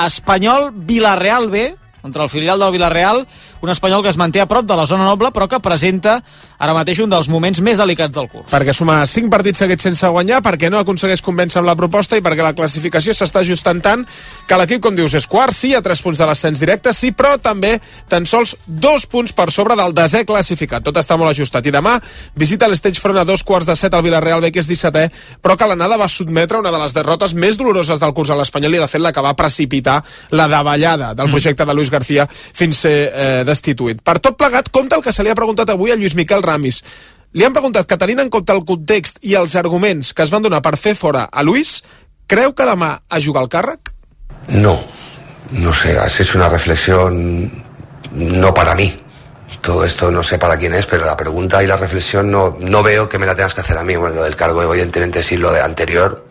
Espanyol-Vilareal B, contra el filial del Villarreal, un Espanyol que es manté a prop de la zona noble, però que presenta ara mateix un dels moments més delicats del curs. Perquè suma 5 partits seguits sense guanyar, perquè no aconsegueix convèncer amb la proposta i perquè la classificació s'està ajustant tant que l'equip, com dius, és quart, sí, a 3 punts de l'ascens directe, sí, però també tan sols 2 punts per sobre del 10è classificat. Tot està molt ajustat. I demà visita l'Stagefront a 2:15 al Villarreal B, que és 17è, però que l'anada va sotmetre una de les derrotes més doloroses del curs a l'Espanyol i, de fet, la que va precipitar la davallada del projecte de Luis García fins ser destituït. Per tot plegat, compte el que se li ha preguntat avui a Lluís Miquel Ramis. Li han preguntat que, tenint en compte el context i els arguments que es van donar per fer fora a Luis, creu que demà a jugar al càrrec? No sé, has hecho una reflexión no para mí. Todo esto no sé para quién es, pero la pregunta y la reflexión no veo que me la tengas que hacer a mí. Bueno, lo del cargo evidentemente sí, lo de anterior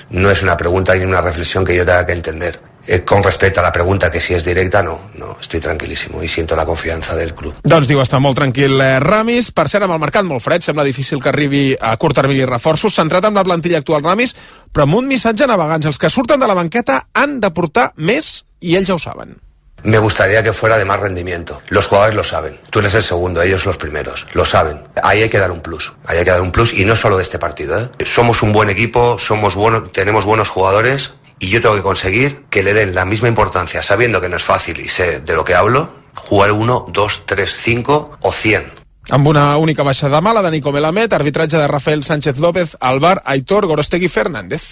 no es una pregunta ni una reflexión que yo tenga que entender. Con respecte a la pregunta, que si és directa, no, estoy tranquilísimo i siento la confiança del club. Doncs diu, està molt tranquil Ramis. Per cert, amb el mercat molt fred, sembla difícil que arribi a curt termini reforços, centrat en la plantilla actual Ramis, però amb un missatge a navegants. Els que surten de la banqueta han de portar més i ells ja ho saben. Me gustaría que fuera de más rendimiento. Los jugadores lo saben. Tú eres el segundo, ellos los primeros. Lo saben. Ahí hay que dar un plus. Ahí hay que dar un plus y no solo de este partido, ¿eh? Somos un buen equipo, somos buenos, tenemos buenos jugadores. Y yo tengo que conseguir que le den la misma importancia, sabiendo que no es fácil y sé de lo que hablo, jugar 1, 2, 3, 5 o 100. Amb una única baixada mala de Nico Melamed, arbitratge de Rafael Sánchez López, al VAR Aitor Gorostegui Fernández.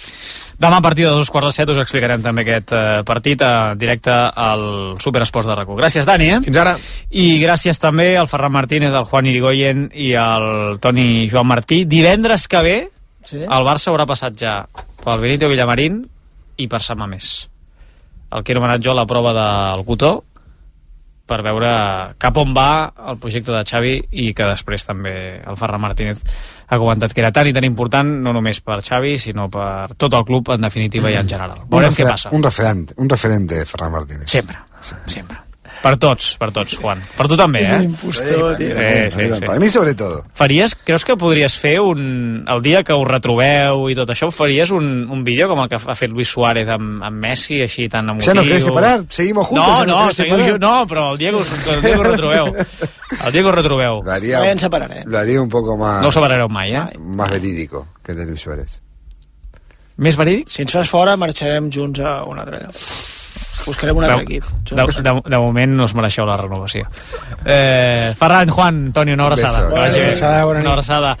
Demà a partir de 2:15 us explicarem també aquest partit directe al Superesports de RAC1. Gràcies, Dani. Fins ara. I gràcies també al Ferran Martínez, al Juan Irigoyen i al Toni Joan Martí. Divendres que ve, el Barça haurà passat ja pel Benito Villamarín i per Sant Mamés. El que he anomenat jo la prova del cotó, per veure cap on va el projecte de Xavi i que després també el Ferran Martínez ha comentat que era tan i tan important, no només per Xavi, sinó per tot el club, en definitiva, i en general. Veurem què passa. Un referente, Ferran Martínez. Sempre. Per tots, Juan. Per tu també, És un impostor, tio. Sí. Per mi, sobretot. Creus que podries fer el dia que us retrobeu i tot això, faries un vídeo com el que ha fet Luis Suárez amb Messi, així tan emotiu? ¿Ya no querés separar? ¿Seguimos juntos? No, però el dia que us retrobeu. El dia que us retrobeu. Lo haría un poco más... No ho separareu mai, Más verídico que el de Luis Suárez. Més verídic? Si ens fas fora, marxarem junts a un altre lloc. Buscarem un altre equip. De moment no us mereixeu la renovació. Ferran, Juan, Toni, una abraçada. Una abraçada.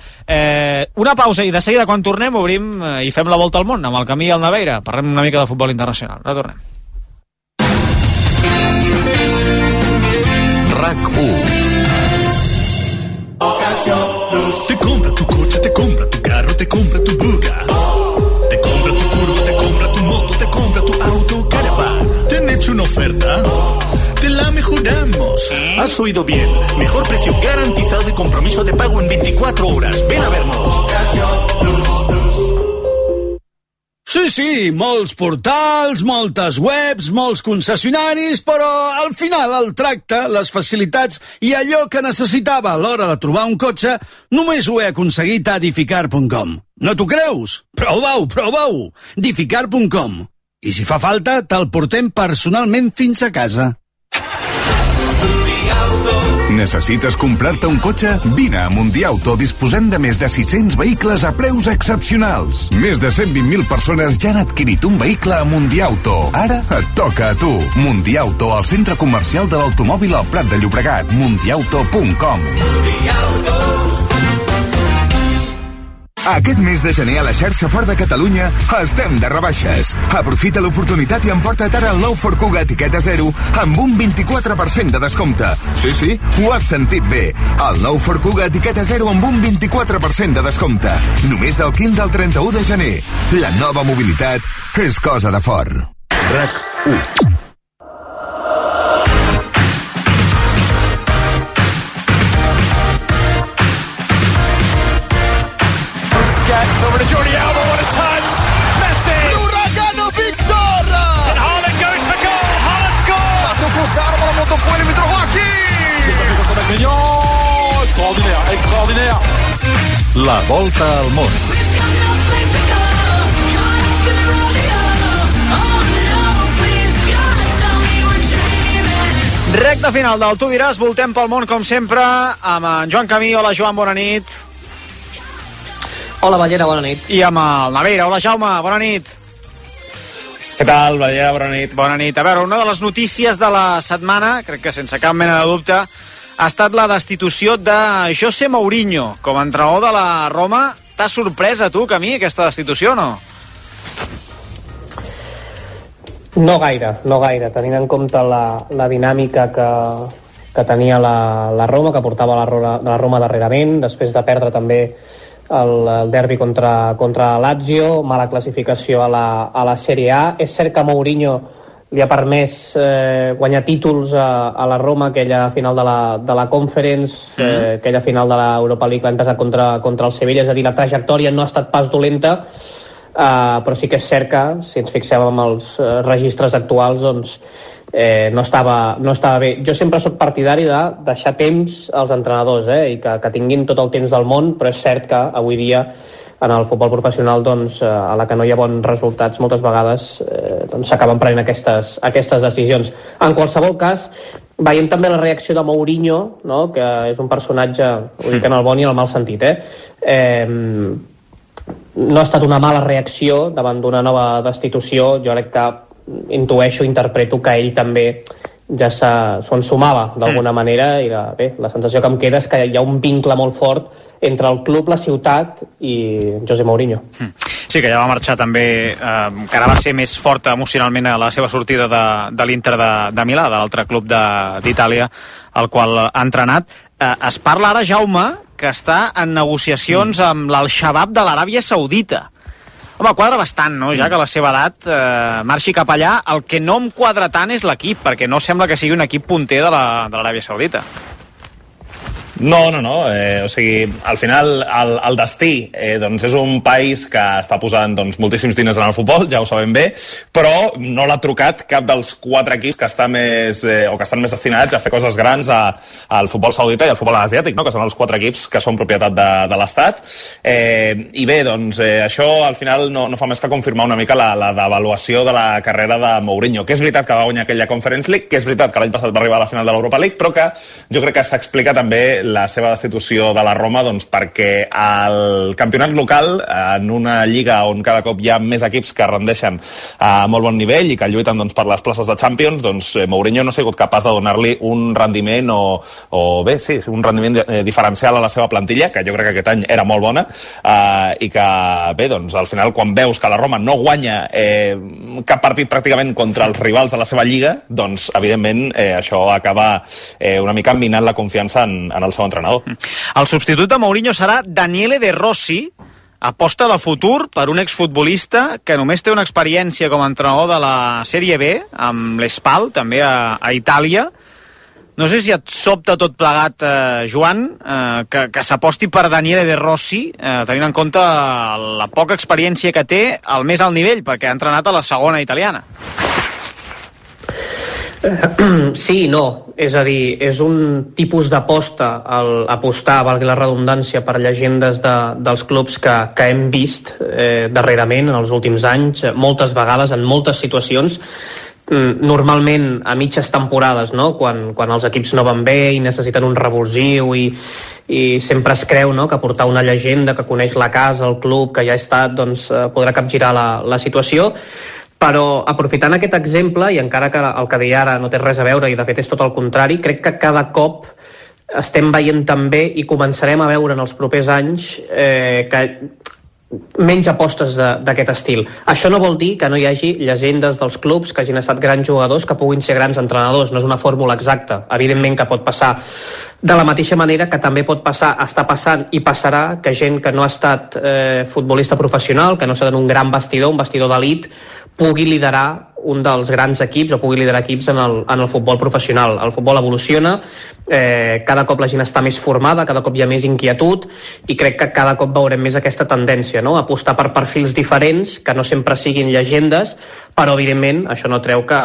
Una pausa i de seguida, quan tornem, obrim i fem la volta al món amb el Camí i el Naveira. Parlem una mica de futbol internacional. Ara tornem. RAC1. Te compra tu coche, te compra tu carro, te compra tu buga. Te compra tu furgo, te compra tu moto, te compra tu auto, caravan. ¿Te han hecho una oferta? Te la mejoramos. Has oído bien. Mejor precio garantizado y compromiso de pago en 24 horas. Ven a vernos. Sí, molts portals, moltes webs, molts concessionaris, però al final el tracte, les facilitats i allò que necessitava a l'hora de trobar un cotxe només ho he aconseguit a Edificar.com. No t'ho creus? Prova-ho! Edificar.com. I si fa falta, te'l portem personalment fins a casa. Necessites comprar-te un cotxe? Vine a Mundiauto. Disposem de més de 600 vehicles a preus excepcionals. Més de 120.000 persones ja han adquirit un vehicle a Mundiauto. Ara et toca a tu. Mundiauto, al centre comercial de l'automòbil al Prat de Llobregat. Mundiauto.com. Aquest mes de gener a la xarxa Ford de Catalunya estem de rebaixes. Aprofita l'oportunitat i emporta't ara el nou Ford Kuga etiqueta 0 amb un 24% de descompte. Sí, ho has sentit bé. El nou Ford Kuga etiqueta 0 amb un 24% de descompte. Només del 15 al 31 de gener. La nova mobilitat és cosa de Ford. RAC1. Over to Jordi Alba, what a touch! Messi! L'Uragano Victor! And Haaland goes for goal, Haaland scores! Attention Fossard, la monte au point, le but de Rocky! Extraordinaire! La volta al món. Recte final del Tu diràs, voltem pel món com sempre amb en Joan Camí. Hola Joan, bona nit. Hola Ballera, bona nit. I amb el Naveira. Hola Jaume, bona nit. Què tal, Ballera, bona nit. Bona nit. A veure, una de les notícies de la setmana, crec que sense cap mena de dubte, ha estat la destitució de José Mourinho com a entrenador de la Roma. T'ha sorprès a tu, Camí, aquesta destitució o no? No gaire, tenint en compte la dinàmica que tenia la Roma, que portava la Roma darrerament, després de perdre també el derbi contra Lazio, mala classificació a la Serie A. És cert que Mourinho li ha permès guanyar títols a la Roma, aquella final de la Conference, aquella final de l'Europa League l'any passat contra el Sevilla, és a dir, la trajectòria no ha estat pas dolenta, però sí que és cert que, si ens fixem en els registres actuals, doncs no estava bé. Jo sempre soc partidari de deixar temps als entrenadors, i que tinguin tot el temps del món, però és cert que avui dia en el futbol professional, doncs, a la que no hi ha bons resultats, moltes vegades s'acaben prenent aquestes decisions. En qualsevol cas, veiem també la reacció de Mourinho, no?, que és un personatge, ho dic en el bon i en el mal sentit, no ha estat una mala reacció davant d'una nova destitució. Jo crec que intueixo, interpreto que ell també ja s'ho ensumava d'alguna manera, i la sensació que em queda és que hi ha un vincle molt fort entre el club, la ciutat i José Mourinho. Sí, que ja va marxar també, que ara va ser més forta emocionalment a la seva sortida de l'Inter de Milà, de l'altre club d'Itàlia, el qual ha entrenat. Es parla ara, Jaume, que està en negociacions amb l'Al-Shabaab de l'Aràbia Saudita. Home, quadra bastant, no?, ja que a la seva edat marxi cap allà. El que no em quadra tant és l'equip, perquè no sembla que sigui un equip punter de l'Aràbia Saudita. No. O sigui, al final el destí doncs és un país que està posant moltíssims diners en el futbol, ja ho sabem bé, però no l'ha trucat cap dels 4 equips que estan més destinats a fer coses grans al futbol saudita i al futbol asiàtic, no?, que són els 4 equips que són propietat de l'Estat. I bé, doncs això al final no fa més que confirmar una mica la devaluació de la carrera de Mourinho, que és veritat que va guanyar aquella Conference League, que és veritat que l'any passat va arribar a la final de l'Europa League, però que jo crec que s'explica també la seva destitució de la Roma, doncs, perquè el campionat local, en una lliga on cada cop hi ha més equips que rendeixen a molt bon nivell i que lluiten, doncs, per les places de Champions, doncs Mourinho no ha sigut capaç de donar-li un rendiment un rendiment diferencial a la seva plantilla, que jo crec que aquest any era molt bona, i que, bé, doncs, al final, quan veus que la Roma no guanya cap partit pràcticament contra els rivals de la seva lliga, doncs, evidentment, això acaba una mica minant la confiança en el seu entrenador. El substitut de Mourinho serà Daniele De Rossi, aposta de futur per un exfutbolista que només té una experiència com a entrenador de la Sèrie B, amb l'Espal, també a Itàlia. No sé si et sobta tot plegat, Joan, que s'aposti per Daniele De Rossi, tenint en compte la poca experiència que té al més alt nivell, perquè ha entrenat a la segona italiana. Sí i no, és a dir, és un tipus d'aposta, apostar, valgui la redundància, per llegendes dels clubs que hem vist darrerament en els últims anys, moltes vegades, en moltes situacions, normalment a mitges temporades, no?, quan els equips no van bé i necessiten un revulsiu i sempre es creu, no?, que portar una llegenda que coneix la casa, el club, que ja ha estat, doncs podrà capgirar la situació. Però aprofitant aquest exemple, i encara que el que deia ara no té res a veure i de fet és tot el contrari, crec que cada cop estem veient també i començarem a veure en els propers anys que menys apostes d'aquest estil. Això no vol dir que no hi hagi llegendes dels clubs que hagin estat grans jugadors que puguin ser grans entrenadors, no és una fórmula exacta, evidentment que pot passar. De la mateixa manera que també pot passar, està passant i passarà, que gent que no ha estat futbolista professional, que no ha estat en un gran vestidor, un vestidor d'elit, pugui liderar un dels grans equips o pugui liderar equips en el futbol professional. El futbol evoluciona, cada cop la gent està més formada, cada cop hi ha més inquietud i crec que cada cop veurem més aquesta tendència, no?, apostar per perfils diferents, que no sempre siguin llegendes, però evidentment això no treu que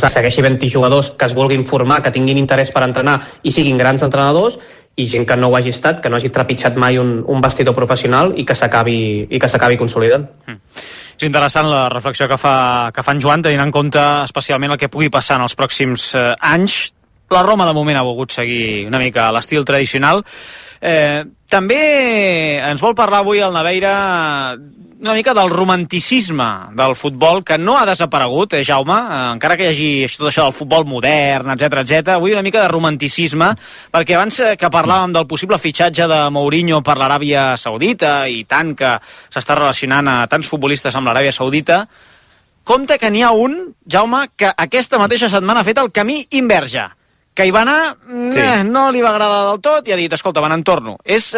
segueixi havent-hi jugadors que es vulguin formar, que tinguin interès per entrenar i siguin grans entrenadors, i gent que no ho hagi estat, que no hagi trepitjat mai un vestidor professional i que s'acabi consolidant. És interessant la reflexió que fa en Joan, tenint en compte especialment el que pugui passar en els pròxims anys. La Roma, de moment, ha volgut seguir una mica l'estil tradicional. També ens vol parlar avui el Naveira una mica del romanticisme del futbol, que no ha desaparegut, Jaume, encara que hi hagi tot això del futbol modern, etc. Avui una mica de romanticisme, perquè abans que parlàvem del possible fitxatge de Mourinho per l'Aràbia Saudita, i tant que s'està relacionant a tants futbolistes amb l'Aràbia Saudita, compte que n'hi ha un, Jaume, que aquesta mateixa setmana ha fet el camí invers ja, que hi va anar, no li va agradar del tot, i ha dit, escolta, me n'entorno. És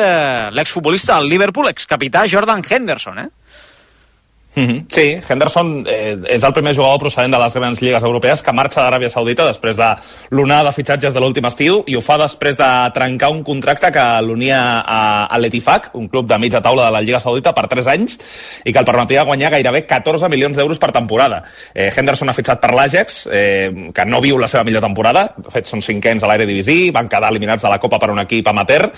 l'exfutbolista del Liverpool, excapità Jordan Henderson, Sí, Henderson és el primer jugador procedent de les grans lligues europees que marxa d'Aràbia Saudita després de l'onada de fitxatges de l'últim estiu, i ho fa després de trencar un contracte que l'unia a l'Etifaq, un club de mitja taula de la Lliga Saudita, per 3 anys, i que el permetia guanyar gairebé 14 milions d'euros per temporada. Henderson ha fitxat per l'Ajax, que no viu la seva millor temporada, de fet són 5ens a l'Eredivisie, van quedar eliminats de la Copa per un equip amateur,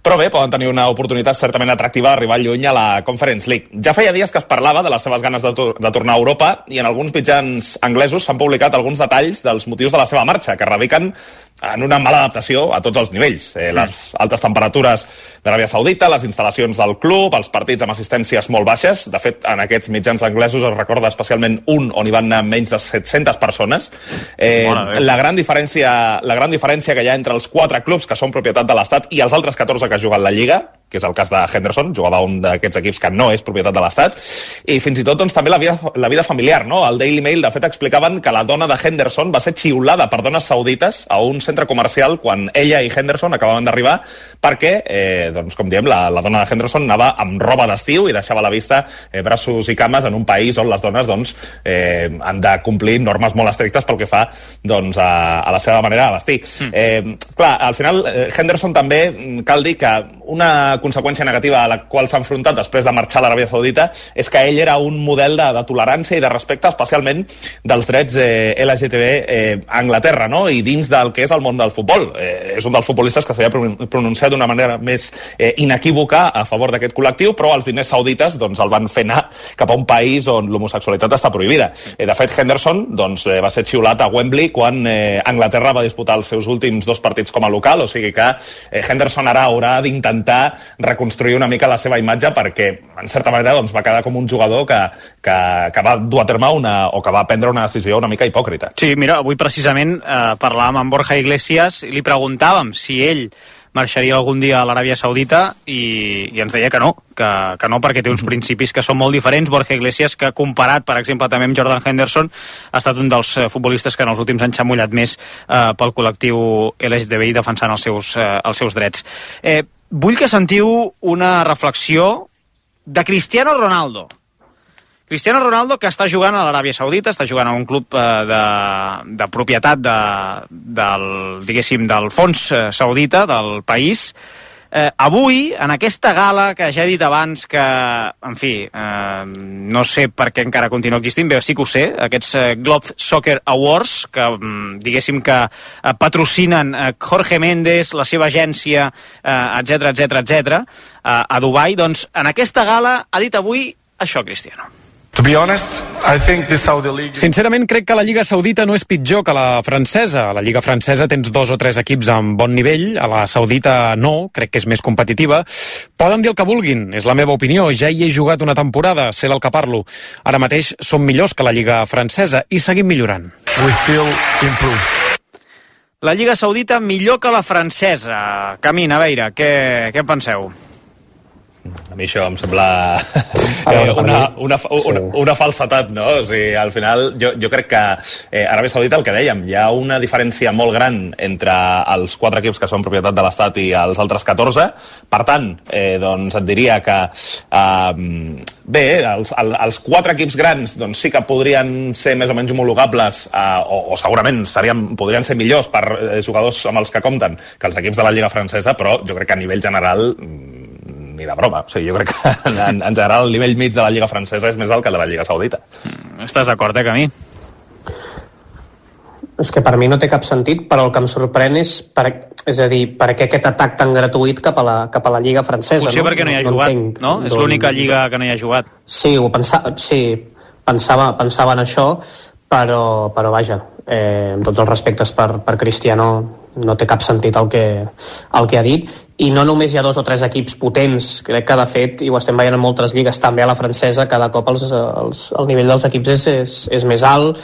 però bé, poden tenir una oportunitat certament atractiva d'arribar lluny a la Conference League. Ja feia dies que es parlava de les seves ganes de tornar a Europa, i en alguns mitjans anglesos s'han publicat alguns detalls dels motius de la seva marxa, que radiquen en una mala adaptació a tots els nivells. Les altes temperatures d'Aràbia Saudita, les instal·lacions del club, els partits amb assistències molt baixes. De fet, en aquests mitjans anglesos es recorda especialment un on hi van anar menys de 700 persones. La gran diferència que hi ha entre els 4 clubs que són propietat de l'Estat i els altres 14 que juguen la Lliga, que és el cas de Henderson, jugava un d'aquests equips que no és propietat de l'Estat, i fins i tot doncs, també la vida familiar, no? Al Daily Mail, de fet, explicaven que la dona de Henderson va ser xiulada per dones saudites a un centre comercial quan ella i Henderson acabaven d'arribar, perquè, doncs, com diem, la dona de Henderson anava amb roba d'estiu i deixava a la vista braços i cames en un país on les dones doncs, han de complir normes molt estrictes pel que fa doncs, a la seva manera de vestir. Clar, al final, Henderson també, cal dir que una conseqüència negativa a la qual s'ha enfrontat després de marxar a l'Aràbia Saudita és que ell era un model de tolerància i de respecte, especialment dels drets LGTB a Anglaterra, no? I dins del que és el món del futbol. És un dels futbolistes que s'havia pronunciat d'una manera més inequívoca a favor d'aquest col·lectiu, però els diners saudites doncs, el van fer anar cap a un país on l'homosexualitat està prohibida. De fet, Henderson doncs, va ser xiulat a Wembley quan Anglaterra va disputar els seus últims 2 partits com a local, o sigui que Henderson ara haurà d'intentar reconstruir una mica la seva imatge, perquè en certa manera doncs, va quedar com un jugador que va dur a terme o que va prendre una decisió una mica hipòcrita. Sí, mira, avui precisament parlàvem amb Borja Iglesias i li preguntàvem si ell marxaria algun dia a l'Aràbia Saudita i ens deia que no, perquè té uns principis que són molt diferents. Borja Iglesias, que comparat, per exemple, també amb Jordan Henderson, ha estat un dels futbolistes que en els últims anys s'ha mullat més pel col·lectiu LGTBI defensant els seus drets. Vull que sentiu una reflexió de Cristiano Ronaldo. Cristiano Ronaldo, que està jugant a l'Aràbia Saudita, està jugant a un club de propietat del fons saudita del país. Avui, en aquesta gala que ja he dit abans que, en fi, no sé per què encara continua existint, però sí que ho sé, aquests Globe Soccer Awards, que diguéssim que patrocinen Jorge Méndez, la seva agència, etc, a Dubai, doncs en aquesta gala ha dit avui això, Cristiano. Sincerament, crec que la Lliga Saudita no és pitjor que la francesa. A la Lliga francesa tens 2 o 3 equips amb bon nivell, a la saudita no, crec que és més competitiva. Poden dir el que vulguin, és la meva opinió, ja hi he jugat una temporada, sé del que parlo. Ara mateix som millors que la Lliga francesa i seguim millorant. La Lliga Saudita millor que la francesa. Camí, Naveira, què en penseu? A mi això em sembla una falsetat, no? O sigui, al final jo crec que Aràbia Saudita, el que dèiem, hi ha una diferència molt gran entre els 4 equips que són propietat de l'Estat i els altres 14. Per tant, doncs et diria que bé, els 4 equips grans doncs sí que podrien ser més o menys homologables o segurament podrien ser millors per jugadors amb els que compten que els equips de la Lliga francesa, però jo crec que a nivell general ni de broma. O sigui, jo crec que en general el nivell mig de la Lliga francesa és més alt que el de la Lliga Saudita. Estàs d'acord, Camí? És que per mi no té cap sentit, però el que em sorprèn és per què aquest atac tan gratuït cap a la Lliga francesa. Potser perquè no hi ha jugat, no? És l'única lliga que no hi ha jugat. Sí, ho pensava, sí. pensava en això, però vaja, amb tots els respectes per Cristiano, no té cap sentit el que ha dit, i no només hi ha 2 o 3 equips potents, crec que de fet, i ho estem veient en moltes lligues, també a la francesa, cada cop el nivell dels equips és més alt,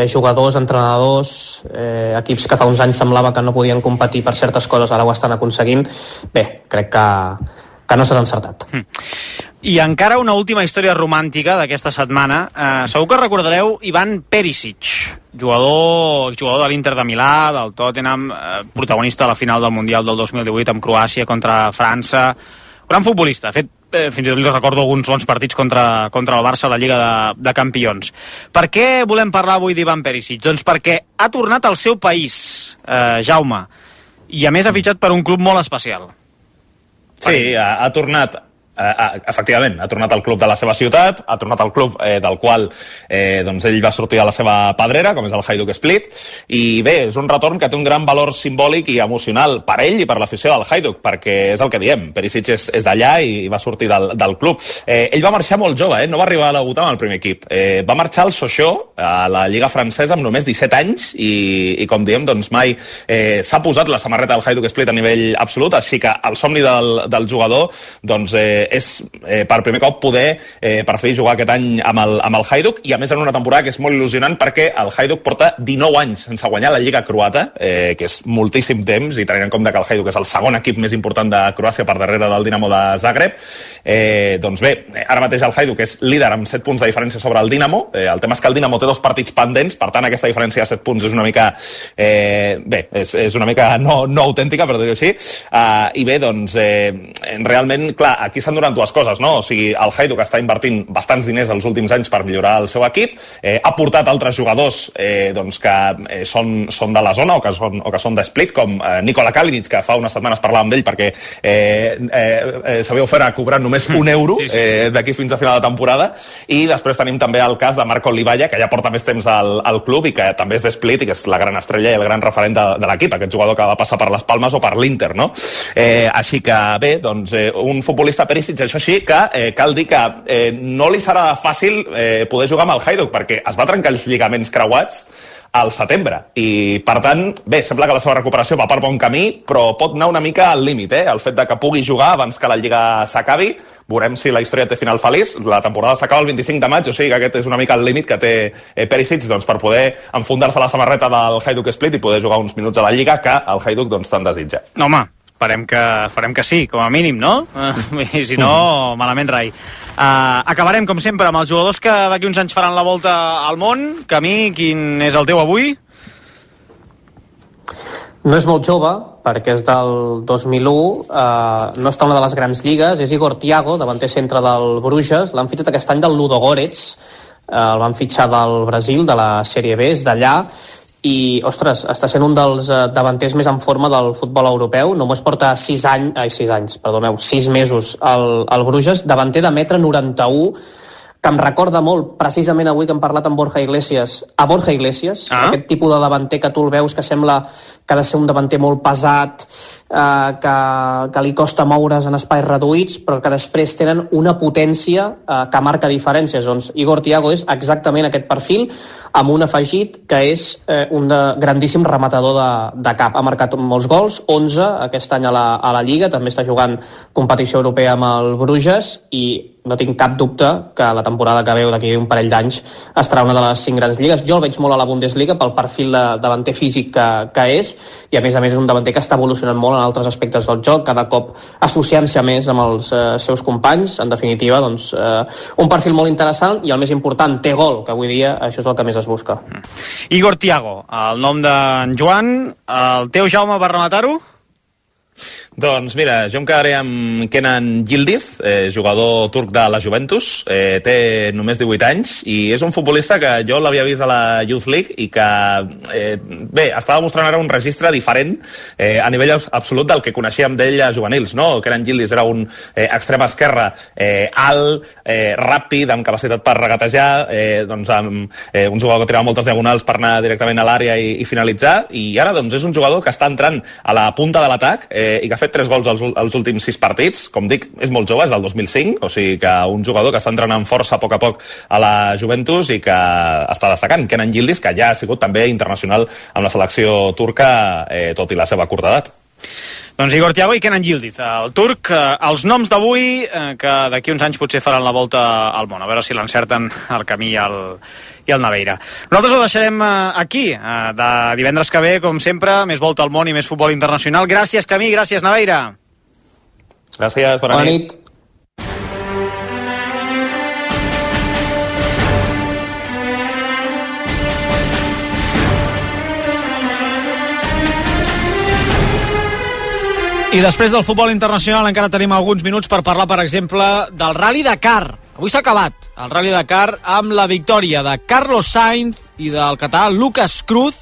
jugadors, entrenadors, equips que fa uns anys semblava que no podien competir per certes coses, ara ho estan aconseguint. Bé, crec que no s'ha encertat. I encara una última història romàntica d'aquesta setmana. Segur que recordareu Ivan Perisic, jugador de l'Inter de Milà, del Tottenham, protagonista de la final del Mundial del 2018 amb Croàcia contra França. Gran futbolista, ha fet fins i tot li recordo alguns bons partits contra el Barça a la Lliga de Campions. Per què volem parlar avui d'Ivan Perisic? Doncs perquè ha tornat al seu país, Jaume, i a més ha fitxat per un club molt especial. Sí, ha tornat... efectivament, ha tornat al club de la seva ciutat, ha tornat al club del qual doncs ell va sortir a la seva pedrera, com és el Hajduk Split, i bé, és un retorn que té un gran valor simbòlic i emocional per ell i per l'afició del Hajduk, perquè és el que diem, Perisic és d'allà i va sortir del club. Ell va marxar molt jove, no va arribar a debutar amb el primer equip. Va marxar al Sochaux, a la Lliga francesa, amb només 17 anys, i com diem, doncs mai s'ha posat la samarreta del Hajduk Split a nivell absolut, així que el somni del jugador, doncs és per primer cop poder per fi jugar aquest any amb el Hajduk, i a més en una temporada que és molt il·lusionant perquè el Hajduk porta 19 anys sense guanyar la Lliga croata, que és moltíssim temps, i tenint en compte que el Hajduk és el segon equip més important de Croàcia per darrere del Dinamo de Zagreb. Doncs bé, ara mateix el Hajduk és líder amb 7 punts de diferència sobre el Dinamo. El tema és que el Dinamo té 2 partits pendents, per tant aquesta diferència de 7 punts és una mica és una mica no autèntica, per dir-ho així, i bé, doncs realment, clar, aquí s'han donat dues coses, no? O sigui, el Hajduk està invertint bastants diners els últims anys per millorar el seu equip, ha portat altres jugadors doncs que són de la zona o que són de Split, com Nikola Kalinic, que fa unes setmanes parlàvem d'ell perquè s'havia ofert a cobrar només €1 d'aquí fins a final de temporada, i després tenim també el cas de Marco Olivalla, que ja porta més temps al club i que també és de Split i que és la gran estrella i el gran referent de l'equip, aquest jugador que va passar per les Palmes o per l'Inter, no? Així que bé, doncs un futbolista Perisic, això sí, que cal dir que no li serà fàcil poder jugar amb el Hajduk, perquè es va trencar els lligaments creuats al setembre, i per tant, bé, sembla que la seva recuperació va per bon camí, però pot anar una mica al límit, el fet de que pugui jugar abans que la Lliga s'acabi. Veurem si la història té final feliç. La temporada s'acaba el 25 de maig, o sigui que aquest és una mica el límit que té Perisic, doncs, per poder enfundar-se la samarreta del Hajduk Split i poder jugar uns minuts a la Lliga que el Hajduk doncs, tant desitja. Home, esperem que sí, com a mínim, no? I si no, malament rai. Acabarem, com sempre, amb els jugadors que d'aquí uns anys faran la volta al món. Camí, quin és el teu avui? No és molt jove, perquè és del 2001, no està en una de les grans lligues, és Igor Thiago, davanter centre del Bruges, l'han fitxat aquest any del Ludogorets, el van fitxar del Brasil, de la Sèrie B, és d'allà, i, ostres, està sent un dels davanters més en forma del futbol europeu. Només porta 6 mesos al Bruges, davanter de 1,91 m, que em recorda molt, precisament avui que hem parlat amb Borja Iglesias, aquest tipus de davanter que tu el veus que sembla que ha de ser un davanter molt pesat, que li costa moure's en espais reduïts, però que després tenen una potència que marca diferències. Doncs Igor Thiago és exactament aquest perfil, amb un afegit que és un grandíssim rematador de cap. Ha marcat molts gols, 11 aquest any a la Lliga, també està jugant competició europea amb el Bruges, i no tinc cap dubte que la temporada que veu d'aquí un parell d'anys estarà una de les 5 grans lligues. Jo el veig molt a la Bundesliga pel perfil de davanter físic que és, i a més és un davanter que està evolucionant molt en altres aspectes del joc, cada cop associant-se més amb els seus companys. En definitiva, doncs, un perfil molt interessant, i el més important, té gol, que avui dia això és el que més es busca. Igor Thiago, el nom d'en Joan. El teu, Jaume, per rematar-ho? Doncs mira, jo em quedaré amb Kenan Yildiz, jugador turc de la Juventus, té només 18 anys i és un futbolista que jo l'havia vist a la Youth League i que, bé, estava mostrant ara un registre diferent a nivell absolut del que coneixíem d'ell a juvenils, no? Kenan Yildiz era un extrem esquerre alt, ràpid, amb capacitat per regatejar, doncs amb un jugador que tirava moltes diagonals per anar directament a l'àrea i finalitzar, i ara doncs és un jugador que està entrant a la punta de l'atac i que ha fet fet 3 gols als últims 6 partits. Com dic, és molt jove, és del 2005, o sigui que un jugador que està entrenant força a poc a la Juventus i que està destacant. Kenan Yildiz, que ja ha sigut també internacional amb la selecció turca, tot i la seva curta edat. Doncs Igor Thiago i Kenan Yildiz, el turc, els noms d'avui, que d'aquí uns anys potser faran la volta al món, a veure si l'encerten el Camí i el Naveira. Nosaltres ho deixarem aquí, de divendres que ve, com sempre, més volta al món i més futbol internacional. Gràcies, Camí, gràcies, Naveira. Gràcies, bona nit. I després del futbol internacional encara tenim alguns minuts per parlar, per exemple, del Rally Dakar. Avui s'ha acabat el Rally Dakar amb la victòria de Carlos Sainz i del català Lucas Cruz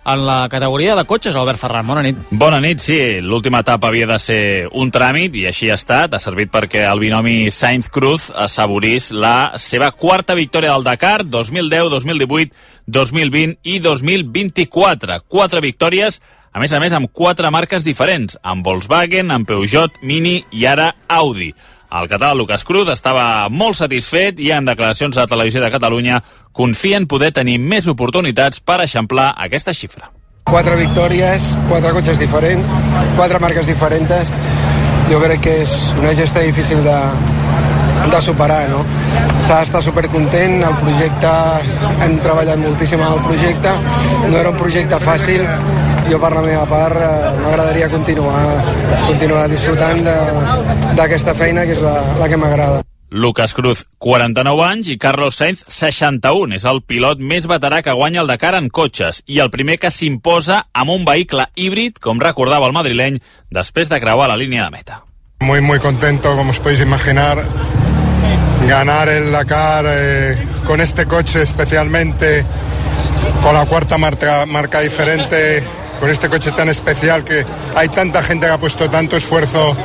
en la categoria de cotxes. Albert Ferran, bona nit. Bona nit, sí. L'última etapa havia de ser un tràmit i així ha estat. Ha servit perquè el binomi Sainz-Cruz assaborís la seva quarta victòria del Dakar, 2010, 2018, 2020 i 2024. 4 victòries, a més, amb 4 marques diferents, amb Volkswagen, amb Peugeot, Mini i ara Audi. El català Lucas Cruz estava molt satisfet i en declaracions a la Televisió de Catalunya confia en poder tenir més oportunitats per eixamplar aquesta xifra. 4 victòries, 4 cotxes diferents, 4 marques diferents. Jo crec que és una gesta difícil de superar, no? S'ha d'estar supercontent, el projecte, hem treballat moltíssim en el projecte, no era un projecte fàcil. Jo per la meva part m'agradaria continuar disfrutant d'aquesta feina, que és la que m'agrada. Lucas Cruz, 49 anys, i Carlos Sainz, 61. És el pilot més veterà que guanya el Dakar en cotxes i el primer que s'imposa amb un vehicle híbrid, com recordava el madrileny, després de creuar la línia de meta. Muy contento, como os podéis imaginar, ganar el Dakar con este coche, especialmente con la cuarta marca diferente, con este coche tan especial, que hay tanta gente que ha puesto tanto esfuerzo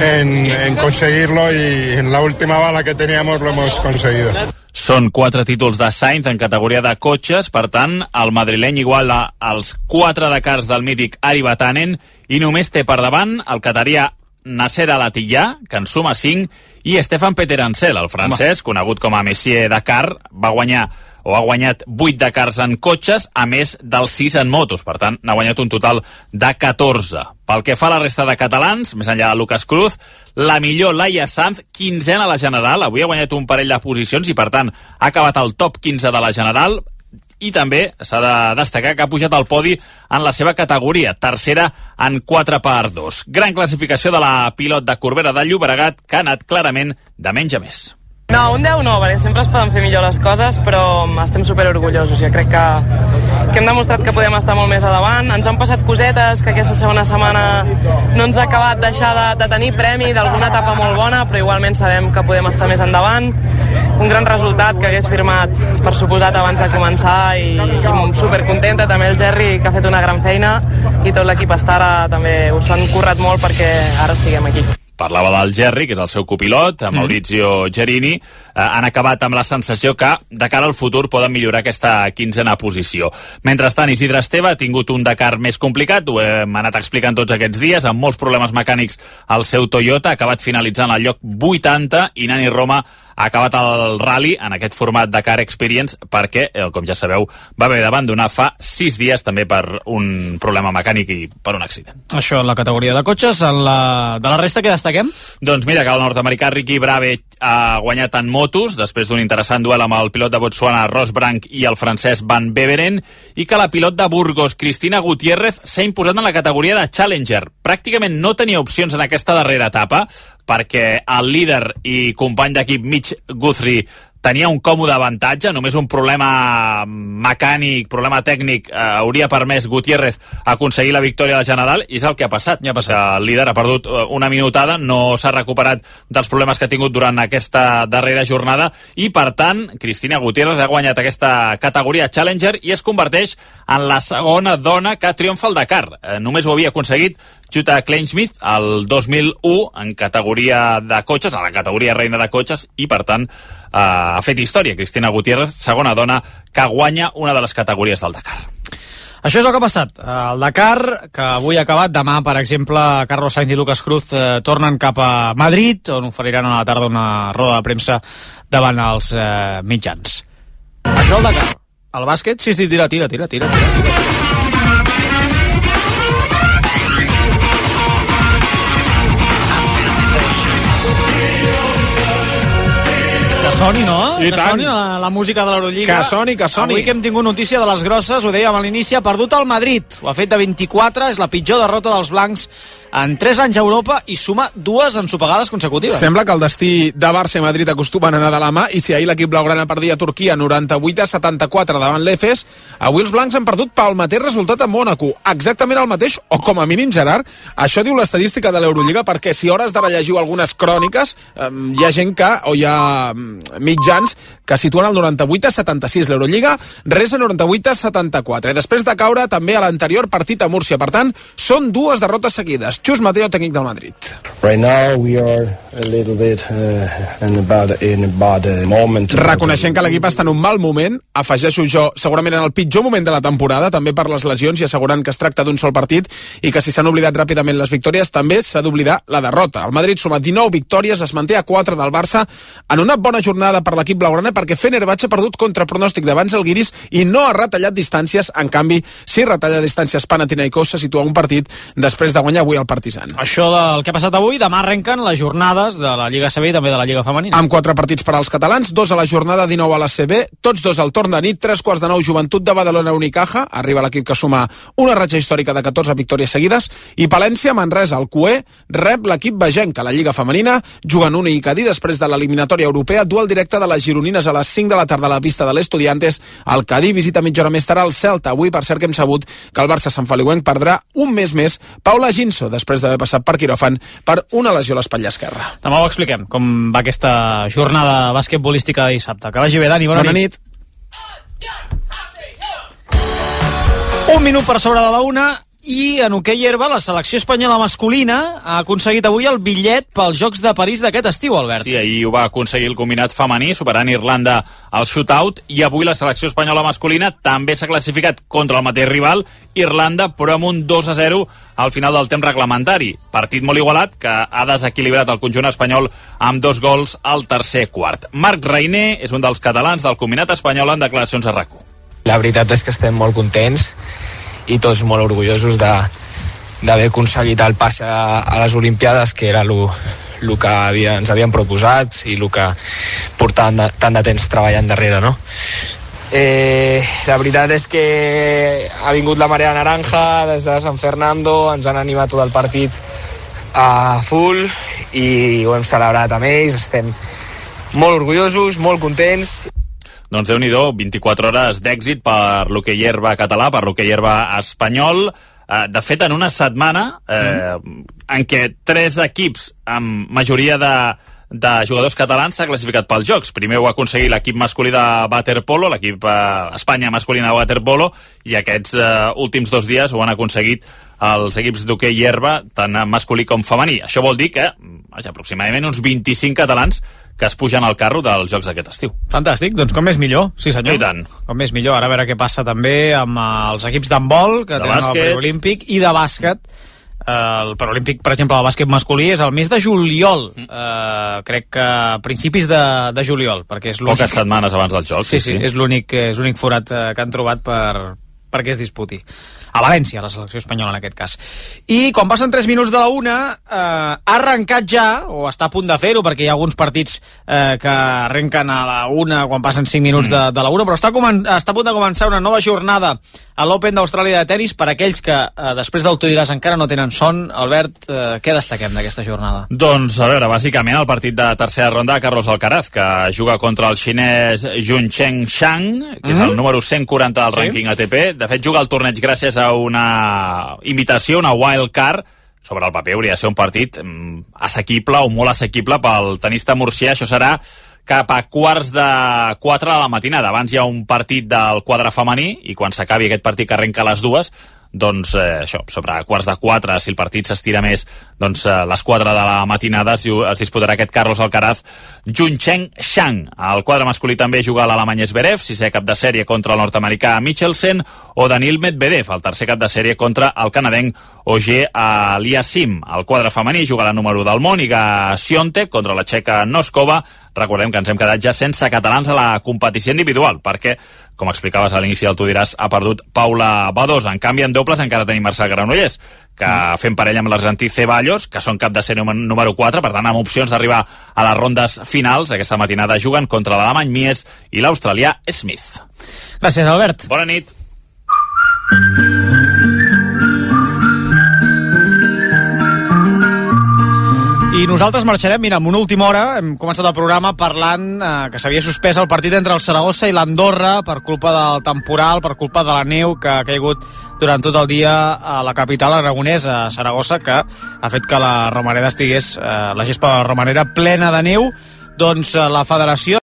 en conseguirlo, y en la última bala que teníamos lo hemos conseguido. Són 4 títols de Sainz en categoria de cotxes, per tant, el madrileny iguala els 4 Dakars del mític Ari Vatanen i només té per davant el catarià Nasser Al-Attiyah, que en suma 5, i Stefan Peter Ansel, el francès, conegut com a Messier Dakar, ha guanyat 8 Dakars en cotxes, a més dels 6 en motos. Per tant, n'ha guanyat un total de 14. Pel que fa a la resta de catalans, més enllà de Lucas Cruz, la millor Laia Sanz, 15a a la general. Avui ha guanyat un parell de posicions i, per tant, ha acabat al top 15 de la general. I també s'ha de destacar que ha pujat al podi en la seva categoria, tercera en 4x2. Gran classificació de la pilot de Corbera de Llobregat, que ha anat clarament de menys a més. No, un 10 no, perquè sempre es poden fer millor les coses, però estem superorgullosos. Jo crec que hem demostrat que podem estar molt més a davant. Ens han passat cosetes, que aquesta segona setmana no ens ha acabat deixar de tenir premi d'alguna etapa molt bona, però igualment sabem que podem estar més endavant. Un gran resultat que hagués firmat, per suposat, abans de començar, i supercontenta. També el Gerri, que ha fet una gran feina, i tot l'equip Stara també us han currat molt perquè ara estiguem aquí. Parlava del Gerri, que és el seu copilot, Maurizio Gerini. Han acabat amb la sensació que, de cara al futur, poden millorar aquesta 15a posició. Mentrestant, Isidre Esteve ha tingut un Dakar més complicat, ho hem anat explicant tots aquests dies, amb molts problemes mecànics al seu Toyota, ha acabat finalitzant al lloc 80, i Nani Roma ha acabat el rally en aquest format Dakar Experience perquè, com ja sabeu, va haver d'abandonar fa 6 dies també per un problema mecànic i per un accident. Això en la categoria de cotxes. De la resta, què destaquem? Doncs mira, que el nord-americà Ricky Brave ha guanyat en motos després d'un interessant duel amb el pilot de Botswana Ross Brank i el francès Van Beveren, i que la pilot de Burgos Cristina Gutiérrez s'ha imposat en la categoria de Challenger. Pràcticament no tenia opcions en aquesta darrera etapa perquè el líder i company d'equip Mitch Guthrie tenia un còmode avantatge, només un problema mecànic, problema tècnic, hauria permès Gutiérrez aconseguir la victòria de la general, i és el que ha passat. El líder ha perdut una minutada, no s'ha recuperat dels problemes que ha tingut durant aquesta darrera jornada, i per tant, Cristina Gutiérrez ha guanyat aquesta categoria Challenger i es converteix en la segona dona que triomfa al Dakar. Només ho havia aconseguit Jutta Kleinsmith el 2001 en categoria de cotxes, en la categoria reina de cotxes, i per tant ha fet història Cristina Gutiérrez, segona dona que guanya una de les categories del Dakar. Això és el que ha passat. El Dakar, que avui ha acabat, demà, per exemple, Carlos Sainz i Lucas Cruz tornen cap a Madrid, on oferiran a la tarda una roda de premsa davant els mitjans. Això el Dakar. El bàsquet, sí, tira. Que soni, no? I que tant. soni la música de l'Eurolliga. Que soni. Avui que hem tingut notícia de les grosses, ho dèiem a l'inici, ha perdut el Madrid. Ho ha fet de 24, és la pitjor derrota dels blancs en 3 anys a Europa i suma 2 ensopegades consecutives. Sembla que el destí de Barça i Madrid acostumen a anar de la mà, i si ahir l'equip blaugrana perdia a Turquia 98-74 davant l'Efes, avui els blancs han perdut pel mateix resultat a Mònaco. Exactament el mateix, o com a mínim, Gerard, això diu l'estadística de l'Eurolliga, perquè si a hores d'ara llegiu algunes cròniques, hi ha gent que, o hi ha mitjans que situen el 98-76. L'Eurolliga res a 98-74. I després de caure també a l'anterior partit a Múrcia. Per tant, són 2 derrotes seguides. Chus Mateo, tècnic del Madrid. Right now we are a little bit in a bad moment. Reconeixent que l'equip està en un mal moment, afegeixo jo, segurament en el pitjor moment de la temporada, també per les lesions, i assegurant que es tracta d'un sol partit i que si s'han oblidat ràpidament les victòries, també s'ha d'oblidar la derrota. El Madrid suma 19 victòries, es manté a 4 del Barça en una bona jornada per l'equip blaugrana, perquè Fenerbahçe ha perdut contra pronòstic davant Žalgiris i no ha retallat distàncies. En canvi, sí retalla distàncies Panathinaikos, se situa un partit després de guanyar avui el Partizan. Això del que ha passat avui, demà arrenquen les jornades de la Lliga CB i també de la Lliga Femenina. Amb 4 partits per als catalans, 2 a la jornada 19 a la CB, tots 2 al torn de nit, 3:15 Joventut de Badalona Unicaja, arriba l'equip que suma una ratxa històrica de 14 victòries seguides, i Palència Manresa, el Cué, rep l'equip vegenc a la Lliga Femenina, jugant un i Cadí després de l'eliminatòria europea, duel directe de les gironines a les 5 de la tarda a la pista de l'Estudiantes. El Cadí visita mitja hora més tard el Celta. Avui, per cert, que hem sabut que el Barça santfeliuenc perdrà un mes més Paula Ginso, després d'haver passat per quiròfan per una lesió a l'espatlla esquerra. Demà ho expliquem, com va aquesta jornada basquetbolística de dissabte. Que vagi bé, Dani, bona nit. Un minut per sobre de la 1. I en hoquei herba, la selecció espanyola masculina ha aconseguit avui el bitllet pels Jocs de París d'aquest estiu, Albert. Sí, ahir ho va aconseguir el combinat femení, superant Irlanda al shootout, i avui la selecció espanyola masculina també s'ha classificat contra el mateix rival, Irlanda, però amb un 2-0 al final del temps reglamentari. Partit molt igualat, que ha desequilibrat el conjunt espanyol amb 2 gols al tercer quart. Marc Reiner és un dels catalans del combinat espanyol en declaracions a RAC1. La veritat és que estem molt contents i tots molt orgullosos d'haver aconseguit el pas a les Olimpiades, que era el que ens havien proposat i el que portàvem tant de temps treballant darrere, no? La veritat és que ha vingut la marea naranja des de San Fernando, ens han animat tot el partit a full i ho hem celebrat amb ells, estem molt orgullosos, molt contents. Doncs Déu-n'hi-do, 24 hores d'èxit per l'hoquei herba català, per l'hoquei herba espanyol. De fet, en una setmana en què 3 equips amb majoria de jugadors catalans s'ha classificat pels Jocs. Primer ho ha aconseguit l'equip masculí de waterpolo, l'equip Espanya masculina de waterpolo, i aquests últims 2 dies ho han aconseguit els equips d'hoquei herba, tant masculí com femení. Això vol dir que aproximadament uns 25 catalans que es pugen al carro dels Jocs d'aquest estiu. Fantàstic, doncs com més millor, sí senyor. I tant. Com més millor, ara a veure què passa també amb els equips d'handbol, que tenen el preolímpic, i de bàsquet. El preolímpic, per exemple, el bàsquet masculí és el mes de juliol, crec que a principis de juliol, perquè és l'únic... Poques setmanes abans del joc. Sí, és l'únic forat que han trobat perquè es disputi. A València, la selecció espanyola en aquest cas. I quan passen 3 minuts de la 1, ha arrencat ja, o està a punt de fer-ho, perquè hi ha alguns partits que arrenquen a la 1 quan passen 5 minuts de la 1, però està a punt de començar una nova jornada a l'Open d'Austràlia de tenis. Per aquells que després del Tu diràs encara no tenen son, Albert, què destaquem d'aquesta jornada? Doncs, a veure, bàsicament el partit de tercera ronda de Carlos Alcaraz, que juga contra el xinès Juncheng Shang, que és el número 140 del rànquing ATP. De fet, juga el torneig gràcies a una invitació, una wild card. Sobre el paper hauria de ser un partit assequible o molt assequible pel tenista murcià. Això serà cap a 3:45 de la matinada. Abans hi ha un partit del quadre femení i quan s'acabi aquest partit que arrenca a les 2, doncs això, sobre quarts de 4, si el partit s'estira més, doncs les 4 de la matinada es disputarà aquest Carlos Alcaraz Juncheng Shang. Al quadre masculí també juga l'alemany Zverev, 6è cap de sèrie contra el nord-americà Michelsen, o Daniil Medvedev, el tercer cap de sèrie contra el canadenc Ogier Aliassim. Al quadre femení juga la número del món, Iga Swiatek, contra la txeca Noskova. Recordem que ens hem quedat ja sense catalans a la competició individual, perquè, com explicaves a l'inici del Tu diràs, ha perdut Paula Badosa. En canvi, en dobles encara tenim Marcel Granollers, que fem parella amb l'argentí Ceballos, que són cap de sèrie número 4, per tant, amb opcions d'arribar a les rondes finals. Aquesta matinada juguen contra l'alemany Mies i l'australià Smith. Gràcies, Albert. Bona nit. I nosaltres marxarem, mira, en una última hora hem començat el programa parlant que s'havia suspès el partit entre el Saragossa i l'Andorra per culpa del temporal, per culpa de la neu que ha caigut durant tot el dia a la capital aragonesa, a Saragossa, que ha fet que la Romareda estigués, la gespa de la Romareda plena de neu. Doncs la federació